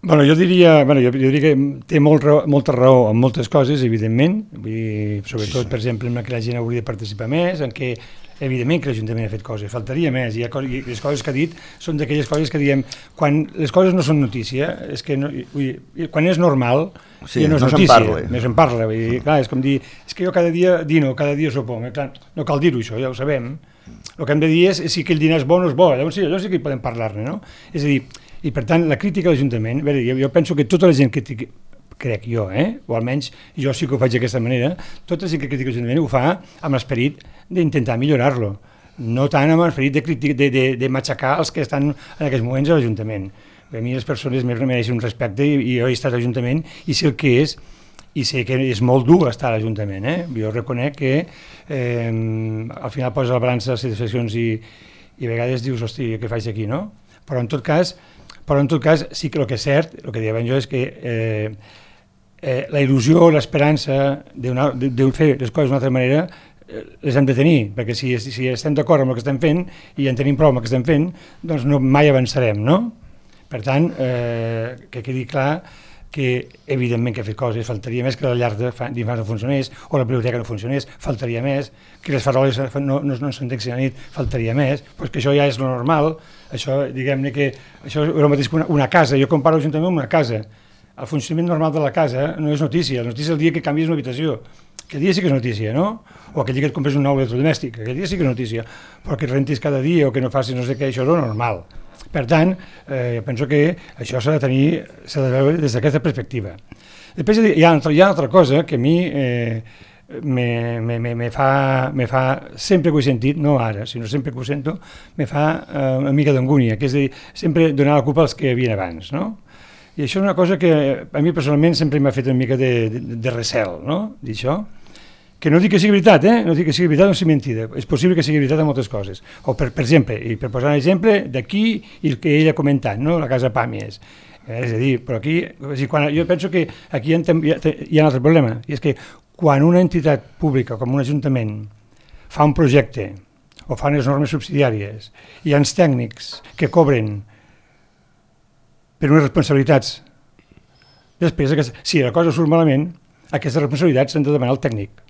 Bueno, jo diria que té molta raó en moltes coses, evidentment, sobretot, per exemple, en què la gent hauria de participar més, en què evidentment que l'Ajuntament ha fet coses, faltaria més, i les coses que ha dit són d'aquelles coses que diem, quan les coses no són notícia, és que quan és normal, ja no és notícia, no se'n parla, clar, és com dir, és que jo cada dia dino, cada dia sopo, clar, no cal dir-ho això, ja ho sabem, el que hem de dir és si aquell dinar és bo o no és bo, llavors sí que hi podem parlar-ne, no? És a dir, i per tant la crítica a l'Ajuntament, jo penso que tota la gent que crec jo, o almenys jo sí que ho faig d'aquesta manera, tota la gent que critica l'Ajuntament ho fa amb l'esperit d'intentar millorar-lo, no tant amb l'esperit de matxacar els que estan en aquests moments a l'Ajuntament. A mi les persones mereixen un respecte i jo he estat a l'Ajuntament i sé el que és, i sé que és molt dur estar a l'Ajuntament. Jo reconec que al final poses a la balança les satisfaccions i a vegades dius, hosti, què faig aquí, no? Però en tot cas sí que el que és cert, el que deia jo és que la il·lusió, l'esperança de fer les coses d'una altra manera les hem de tenir, perquè si estem d'acord amb el que estem fent i en tenim prou amb el que estem fent, doncs mai avançarem, no? Per tant, que quedi clar que evidentment que ha fet coses, faltaria més que la llar d'infants no funcionés o la biblioteca no funcionés, faltaria més, que les faroles no s'entenguin a la nit, faltaria més, però que això ja és lo normal, això, diguem-ne que això és el mateix que una casa, jo comparo l'Ajuntament amb una casa, el funcionament normal de la casa no és notícia, la notícia és el dia que canvies una habitació, aquell dia sí que és notícia, no? O aquell dia que et compres un nou electrodomèstic, aquell dia sí que és notícia, però que et rentis cada dia o que no facis no sé què, això és lo normal. Per tant, penso que això s'ha de veure des d'aquesta perspectiva. Després hi ha una altra cosa que a mi me fa, sempre que ho he sentit, no ara, sinó sempre que ho sento, me fa una mica d'angúnia, que és dir, sempre donar la culpa als que hi havia abans, no? I això és una cosa que a mi personalment sempre m'ha fet una mica de recel, no?, d'això. Que no dic que sigui veritat, no dic que sigui veritat o sigui mentida, és possible que sigui veritat en moltes coses. O per exemple, i per posar un exemple d'aquí i el que ell ha comentat, no?, la casa Pàmies. És a dir, però aquí, jo penso que aquí hi ha un altre problema, i és que quan una entitat pública com un ajuntament fa un projecte o fa unes normes subsidiàries, hi ha uns tècnics que cobren per unes responsabilitats. Després, si la cosa surt malament, aquestes responsabilitats s'han de demanar al tècnic,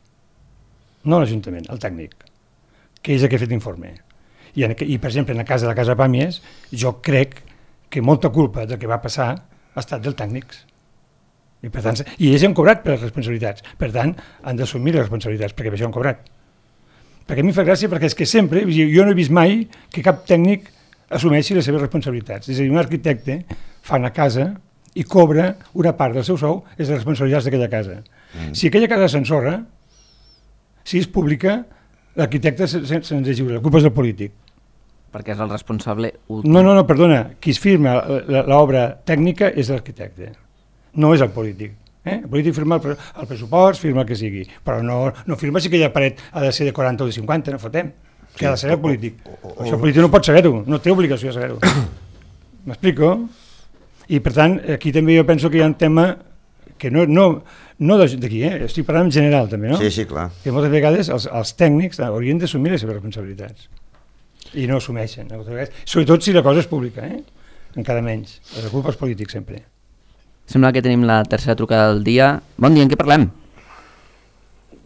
no l'Ajuntament, el tècnic, que és el que ha fet l'informe. I, per exemple, en el cas de la casa Pàmies, jo crec que molta culpa del que va passar ha estat dels tècnics. I, per tant, i ells han cobrat per les responsabilitats. Per tant, han d'assumir les responsabilitats, perquè per això han cobrat. Perquè a mi fa gràcia, perquè és que sempre, jo no he vist mai que cap tècnic assumeixi les seves responsabilitats. És a dir, un arquitecte fa una casa i cobra una part del seu sou és les responsabilitats d'aquella casa. Si aquella casa s'ensorra, si és pública, l'arquitecte se'ns és lliure, la culpa és del polític. Perquè és el responsable últim. No, perdona, qui es firma l'obra tècnica és l'arquitecte, no és el polític. El polític firma el pressupost, firma el que sigui, però no firma si aquella paret ha de ser de 40 o de 50, no fotem, que ha de ser el polític. Això el polític no pot saber-ho, no té obligació de saber-ho. M'explico? I per tant, aquí també jo penso que hi ha un tema que no d'aquí, estic parlant en general també, no? Sí, clar. Que moltes vegades els tècnics haurien d'assumir les seves responsabilitats i no assumeixen, sobretot si la cosa és pública, encara menys, la culpa és polític sempre. Sembla que tenim la tercera trucada del dia. Bon dia, en què parlem?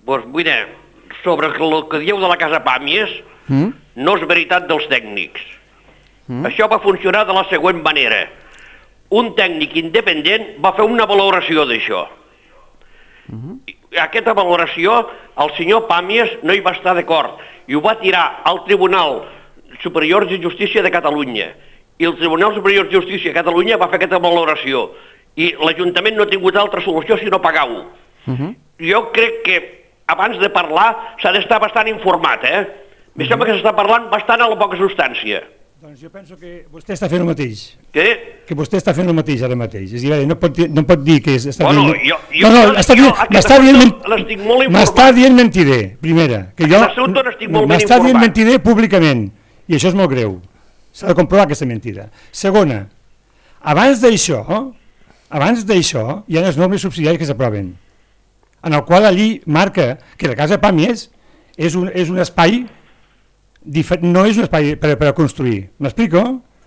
Doncs mira, sobre el que dieu de la Casa Pàmies, no és veritat dels tècnics. Això va funcionar de la següent manera. Un tècnic independent va fer una valoració d'això. Aquesta valoració, el senyor Pàmies no hi va estar d'acord i ho va tirar al Tribunal Superior de Justícia de Catalunya. I el Tribunal Superior de Justícia de Catalunya va fer aquesta valoració. I l'Ajuntament no ha tingut altra solució sinó pagar-ho. Jo crec que abans de parlar s'ha d'estar bastant informat, Em sembla que s'està parlant bastant a la poca substància. Doncs jo penso que vostè està fent el mateix. Què? Que vostè està fent el mateix ara mateix. És a dir, no pot dir que està dient... M'està dient mentider, primera. M'està dient mentider públicament. I això és molt greu. S'ha de comprovar aquesta mentida. Segona, abans d'això hi ha les normes subsidiàries que s'aproven, en el qual la llei marca que la Casa Pàmies és un espai, no és un espai per construir. M'explico?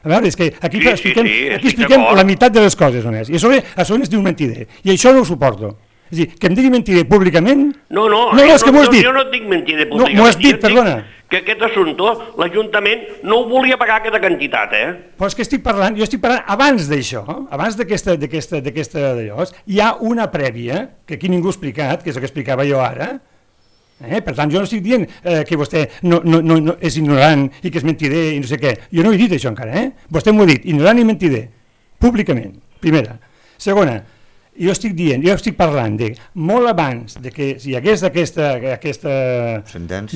A veure, és que aquí expliquem la meitat de les coses només. I a sobre es diu mentider. I això no ho suporto. És a dir, que em digui mentider públicament... No, és que m'ho has dit. Jo no et dic mentider públicament. M'ho has dit, perdona. Que aquest assumpte, l'Ajuntament no ho volia pagar aquesta quantitat, Però és que jo estic parlant abans d'això, abans d'aquesta d'allò, hi ha una prèvia, que aquí ningú ha explicat, que és el que explicava jo ara. Per tant, jo no estic dient que vostè no és ignorant i que és mentider i no sé què. Jo no he dit això encara, Vostè m'ho ha dit, ignorant i mentider, públicament, primera. Segona, jo estic parlant de molt abans de que hi hagués aquesta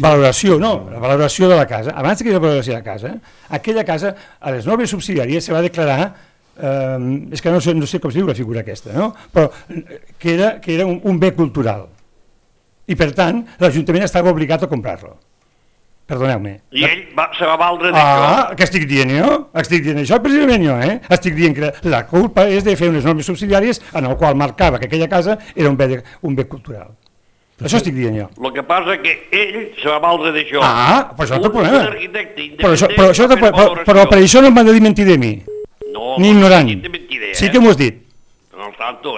valoració, la valoració de la casa, abans que hi hagués la valoració de la casa, aquella casa, a les normes subsidiàries se va declarar, és que no sé com es diu la figura aquesta, però que era un bé cultural. I per tant, l'Ajuntament estava obligat a comprar-lo. Perdoneu-me. I ell se va valdre d'això. Què estic dient jo? Estic dient això precisament jo, Estic dient que la culpa és de fer unes normes subsidiàries en el qual marcava que aquella casa era un bé cultural. Això estic dient jo. El que passa que ell se va valdre d'això. Però això no té problema. Però per això no m'han de dir mentider a mi. Ni ignorant. Sí que m'ho has dit. No tanto,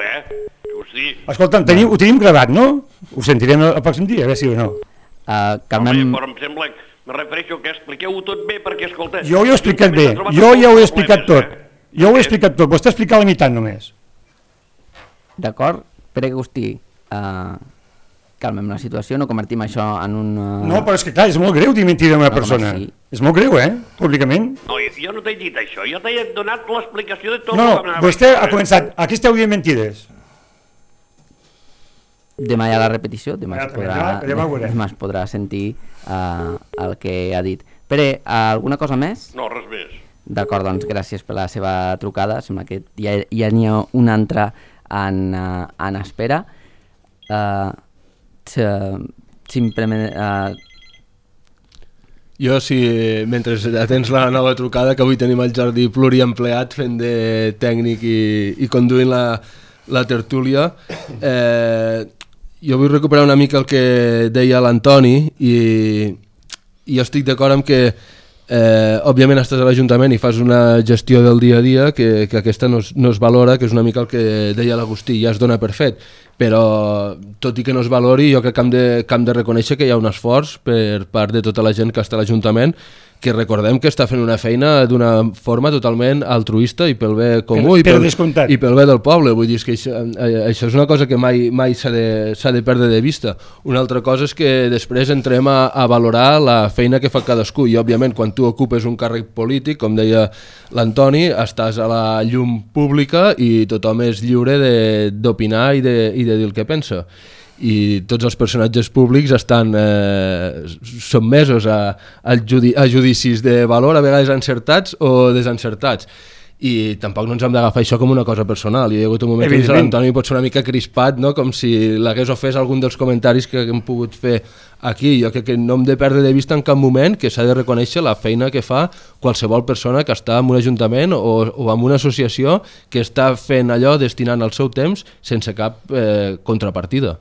Escolta'm, ho tenim gravat, no? Ho sentirem el pròxim dia, a veure si o no. Però em sembla, me refereixo que expliqueu-ho tot bé perquè, escolta... Jo ho he explicat bé, jo ja ho he explicat tot. Jo ho he explicat tot, vostè ha explicat la meitat només. D'acord, Pere Agustí, calmem la situació, no convertim això en un... No, però és que clar, és molt greu dir mentida a una persona. És molt greu, públicament. No, jo no t'he dit això, jo t'he donat l'explicació de tot... No, vostè ha començat, aquí esteu dient mentides. Demà hi ha la repetició, demà es podrà sentir el que ha dit. Pere, alguna cosa més? No, res més. D'acord, doncs gràcies per la seva trucada, sembla que ja n'hi ha una altra en espera. Simplement... Jo, mentre atens la nova trucada, que avui tenim el Jordi pluriempleat fent de tècnic i conduint la tertúlia, jo vull recuperar una mica el que deia l'Antoni i jo estic d'acord amb que òbviament estàs a l'Ajuntament i fas una gestió del dia a dia que aquesta no es valora, que és una mica el que deia l'Agustí, ja es dona per fet, però tot i que no es valori, jo crec que hem de reconèixer que hi ha un esforç per part de tota la gent que està a l'Ajuntament, que recordem que està fent una feina d'una forma totalment altruista i pel bé comú i pel bé del poble. Vull dir que això és una cosa que mai s'ha de perdre de vista. Una altra cosa és que després entrem a valorar la feina que fa cadascú i òbviament quan tu ocupes un càrrec polític, com deia l'Antoni, estàs a la llum pública i tothom és lliure d'opinar i de dir el que pensa. I tots els personatges públics estan sotmesos a judicis de valor, a vegades encertats o desencertats, i tampoc no ens hem d'agafar això com una cosa personal. Hi ha hagut un moment que l'Antoni pot ser una mica crispat, no? Com si l'hagués ofès algun dels comentaris que hem pogut fer aquí. Jo crec que no hem de perdre de vista en cap moment que s'ha de reconèixer la feina que fa qualsevol persona que està en un ajuntament o en una associació que està fent allò, destinant el seu temps sense cap contrapartida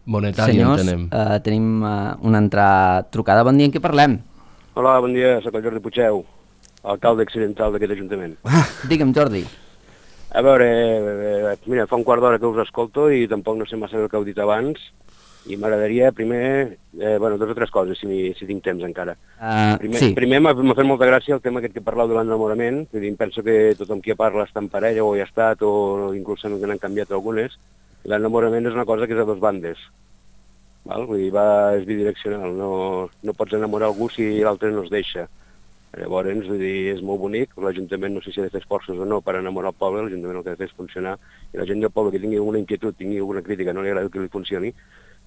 monetari. Senyors, tenim una altra trucada. Bon dia, en què parlem? Hola, bon dia, soc el Jordi Puigeu, alcalde accidental d'aquest ajuntament. Digue'm, Jordi. A veure, mira, fa un quart d'hora que us escolto i tampoc no sé massa el que heu dit abans i m'agradaria primer, dues o tres coses, si tinc temps encara. Primer m'ha fet molta gràcia el tema aquest que parlau de l'enamorament, penso que tothom qui parla està en parella o hi ha estat o inclús n'han canviat algunes. L'enamorament és una cosa que és a dos bandes, vull dir, és bidireccional, no pots enamorar algú si l'altre no es deixa. Llavors, vull dir, és molt bonic, l'Ajuntament no sé si ha de fer esforços o no per enamorar el poble, l'Ajuntament el que ha de fer és funcionar, i la gent del poble que tingui alguna inquietud, tingui alguna crítica, no li agrada que li funcioni,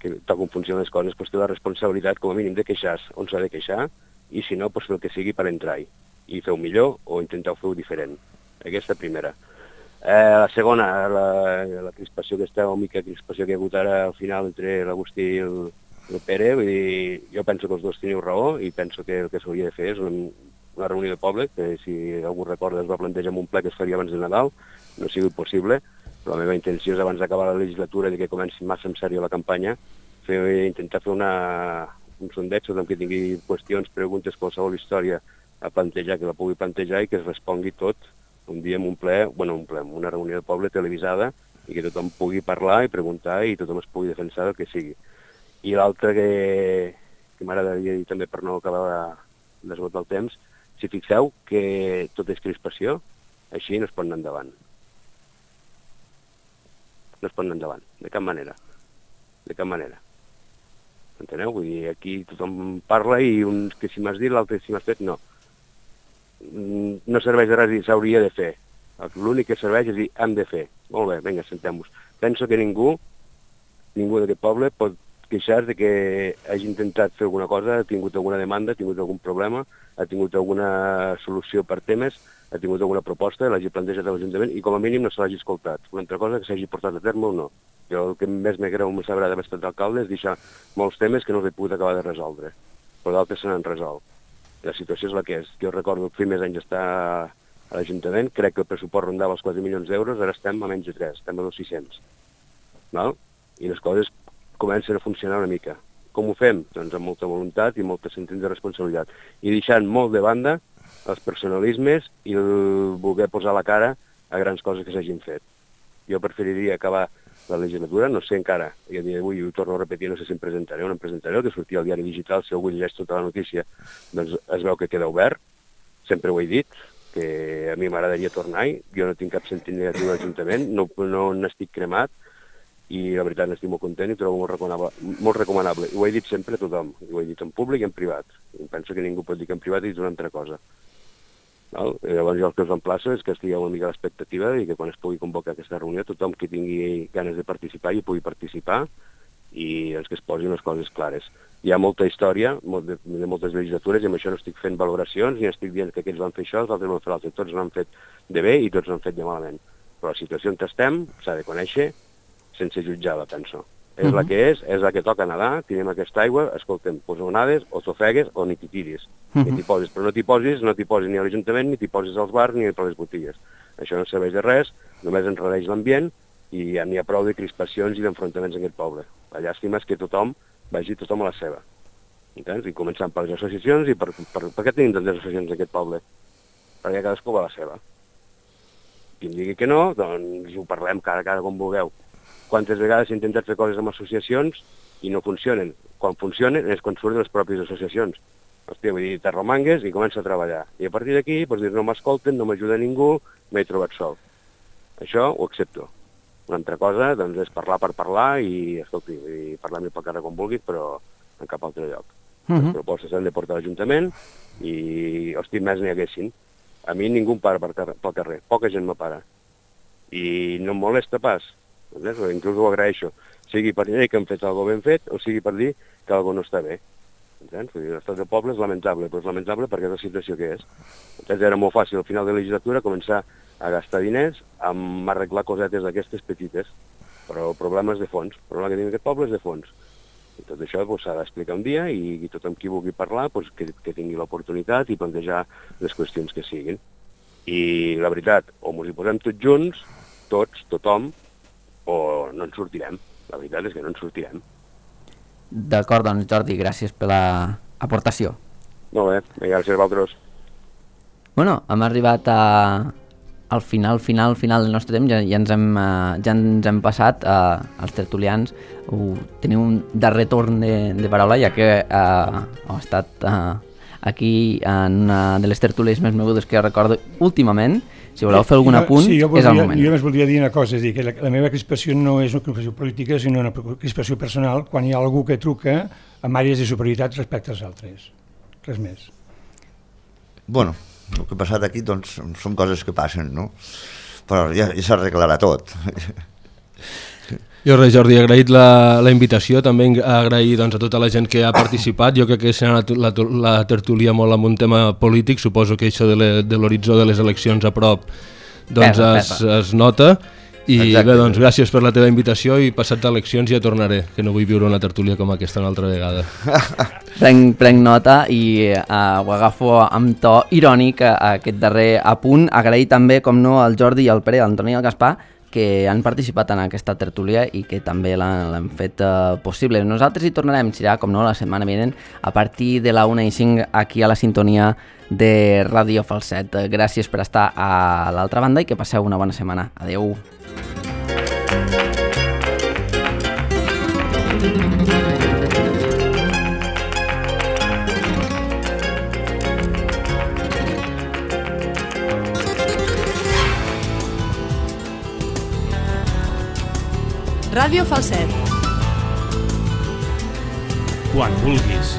que tal com funcionen les coses, doncs té la responsabilitat com a mínim de queixar-se on s'ha de queixar, i si no, doncs fer el que sigui per entrar-hi, i fer-ho millor o intentar fer-ho diferent. Aquesta primera. La segona, la crispació aquesta, o mica crispació que hi ha hagut ara al final entre l'Agustí i el Pere, vull dir, jo penso que els dos teniu raó i penso que el que s'hauria de fer és una reunió de poble, que si algú recorda es va plantejar en un ple que es faria abans de Nadal, no ha sigut possible, però la meva intenció és abans d'acabar la legislatura i que comenci massa en sèrio la campanya, intentar fer un sondeig sobre que tingui qüestions, preguntes, qualsevol història a plantejar, que la pugui plantejar i que es respongui tot un dia en un ple, en una reunió de poble televisada i que tothom pugui parlar i preguntar i tothom es pugui defensar del que sigui. I l'altre que m'agradaria dir també per no acabar d'esgotar el temps, si fixeu que tot és crispació, així no es pot anar endavant. No es pot anar endavant, de cap manera. De cap manera. Enteneu? Vull dir, aquí tothom parla i un que si m'has dit, l'altre si m'has fet, no. No serveix de res dir s'hauria de fer. L'únic que serveix és dir hem de fer. Molt bé, vinga, sentem-nos. Penso que ningú d'aquest poble pot queixar de que hagi intentat fer alguna cosa, ha tingut alguna demanda, ha tingut algun problema, ha tingut alguna solució per temes, ha tingut alguna proposta, l'hagi plantejat a l'Ajuntament i com a mínim no se l'hagi escoltat. Una altra cosa que s'hagi portat a terme o no. Jo el que més me greu, més agrada haver estat d'alcalde és deixar molts temes que no els he pogut acabar de resoldre, però d'altres se n'han resolt. La situació és la que és. Jo recordo els primers anys d'estar a l'Ajuntament, crec que el pressupost rondava els 4 milions d'euros, ara estem a menys de 3, estem a 2.600. I les coses comencen a funcionar una mica. Com ho fem? Doncs amb molta voluntat i molta sentit de responsabilitat. I deixant molt de banda els personalismes i el voler posar la cara a grans coses que s'hagin fet. Jo preferiria acabar la legislatura, no sé encara, i a dia d'avui ho torno a repetir, no sé si em presentaré o no em presentaré, el que sortia al diari digital, si algú llegeix tota la notícia, doncs es veu que queda obert, sempre ho he dit, que a mi m'agradaria tornar-hi, jo no tinc cap sentit negatiu de l'Ajuntament, no n'estic cremat, i la veritat n'estic molt content i trobo molt recomanable. I ho he dit sempre a tothom, i ho he dit en públic i en privat. I penso que ningú pot dir que en privat he dit una altra cosa. Llavors jo el que us emplaço és que estigueu una mica a l'expectativa i que quan es pugui convocar aquesta reunió tothom que tingui ganes de participar hi pugui participar i que es posin les coses clares. Hi ha molta història de moltes legislatures i amb això no estic fent valoracions ni estic dient que aquells van fer això, els altres van fer l'altre. Tots l'han fet de bé i tots l'han fet de malament. Però la situació on estem s'ha de conèixer sense jutjar-la, penso. És la que és la que toca nedar, tirem aquesta aigua, escolta'm, posa onades, o t'ofegues o ni t'hi tiris. Ni t'hi posis, però no t'hi posis ni a l'Ajuntament, ni t'hi posis als bars, ni a les botigues. Això no serveix de res, només enredeix l'ambient i ja n'hi ha prou de crispacions i d'enfrontaments en aquest poble. La llàstima és que tothom vagi tothom a la seva. Entens? I començant per les associacions i per què tenim tantes associacions en aquest poble? Perquè cadascú va a la seva. Qui em digui que no, doncs ho parlem cara a cara com vulgueu. quantes vegades s'ha intentat fer coses amb associacions i no funcionen. Quan funcionen és quan surten les pròpies associacions. Hòstia, vull dir, t'arromangues i comença a treballar. I a partir d'aquí, doncs dir, no m'escolten, no m'ajuda ningú, m'he trobat sol. Això ho accepto. Una altra cosa, doncs, és parlar per parlar i, escolti, parlar-me pel carrer com vulguis, però en cap altre lloc. Les propostes s'han de portar a l'Ajuntament i, hosti, més n'hi haguessin. A mi ningú em para pel carrer, poca gent me para. I no em molesta pas, inclús ho agraeixo, sigui per dir que hem fet alguna ben fet o sigui per dir que alguna no està bé. L'estat del poble és lamentable, però és lamentable perquè és la situació que és. Era molt fàcil al final de la legislatura començar a gastar diners amb arreglar cosetes d'aquestes petites, però problemes de fons. El problema que tenim aquest poble és de fons. I tot això s'ha d'explicar un dia i tothom qui vulgui parlar que tingui l'oportunitat i plantejar les qüestions que siguin. I la veritat, o ens hi posem tots junts, tots, tothom, o no en sortirem. La veritat és que no en sortirem. D'acord, doncs Jordi, gràcies per l'aportació. Molt bé, gràcies a vosaltres. Bueno, hem arribat al final del nostre temps, ja ens hem passat als tertulians. Teniu un darrer torn de paraula, ja que heu estat aquí en una de les tertúlies més mogudes que recordo últimament. Si voleu fer algun apunt, és el moment. Jo només voldria dir una cosa, és dir, que la meva crispació no és una crispació política, sinó una crispació personal, quan hi ha algú que truca amb àrees de superioritat respecte als altres. Res més. Bueno, el que ha passat aquí doncs, són coses que passen, no? Però ja s'arreglarà tot. Jo res, Jordi, he agraït la invitació, també agrair doncs, a tota la gent que ha participat. Jo crec que serà la tertúlia molt amb un tema polític, suposo que això de l'horitzó de les eleccions a prop doncs es nota. I exacte. Bé, doncs gràcies per la teva invitació i passat d'eleccions ja tornaré, que no vull viure una tertúlia com aquesta una altra vegada. Prenc nota i ho agafo amb to irònic aquest darrer apunt. Agrair també, com no, al Jordi i al Pere, l'Antoni i al Gaspar, que han participat en aquesta tertúlia i que també l'han fet possible. Nosaltres hi tornarem, serà, com no, la setmana vinent, a partir de la 1:05 aquí a la sintonia de Ràdio Falset. Gràcies per estar a l'altra banda i que passeu una bona setmana. Adeu. Ràdio Falset. Quan vulguis.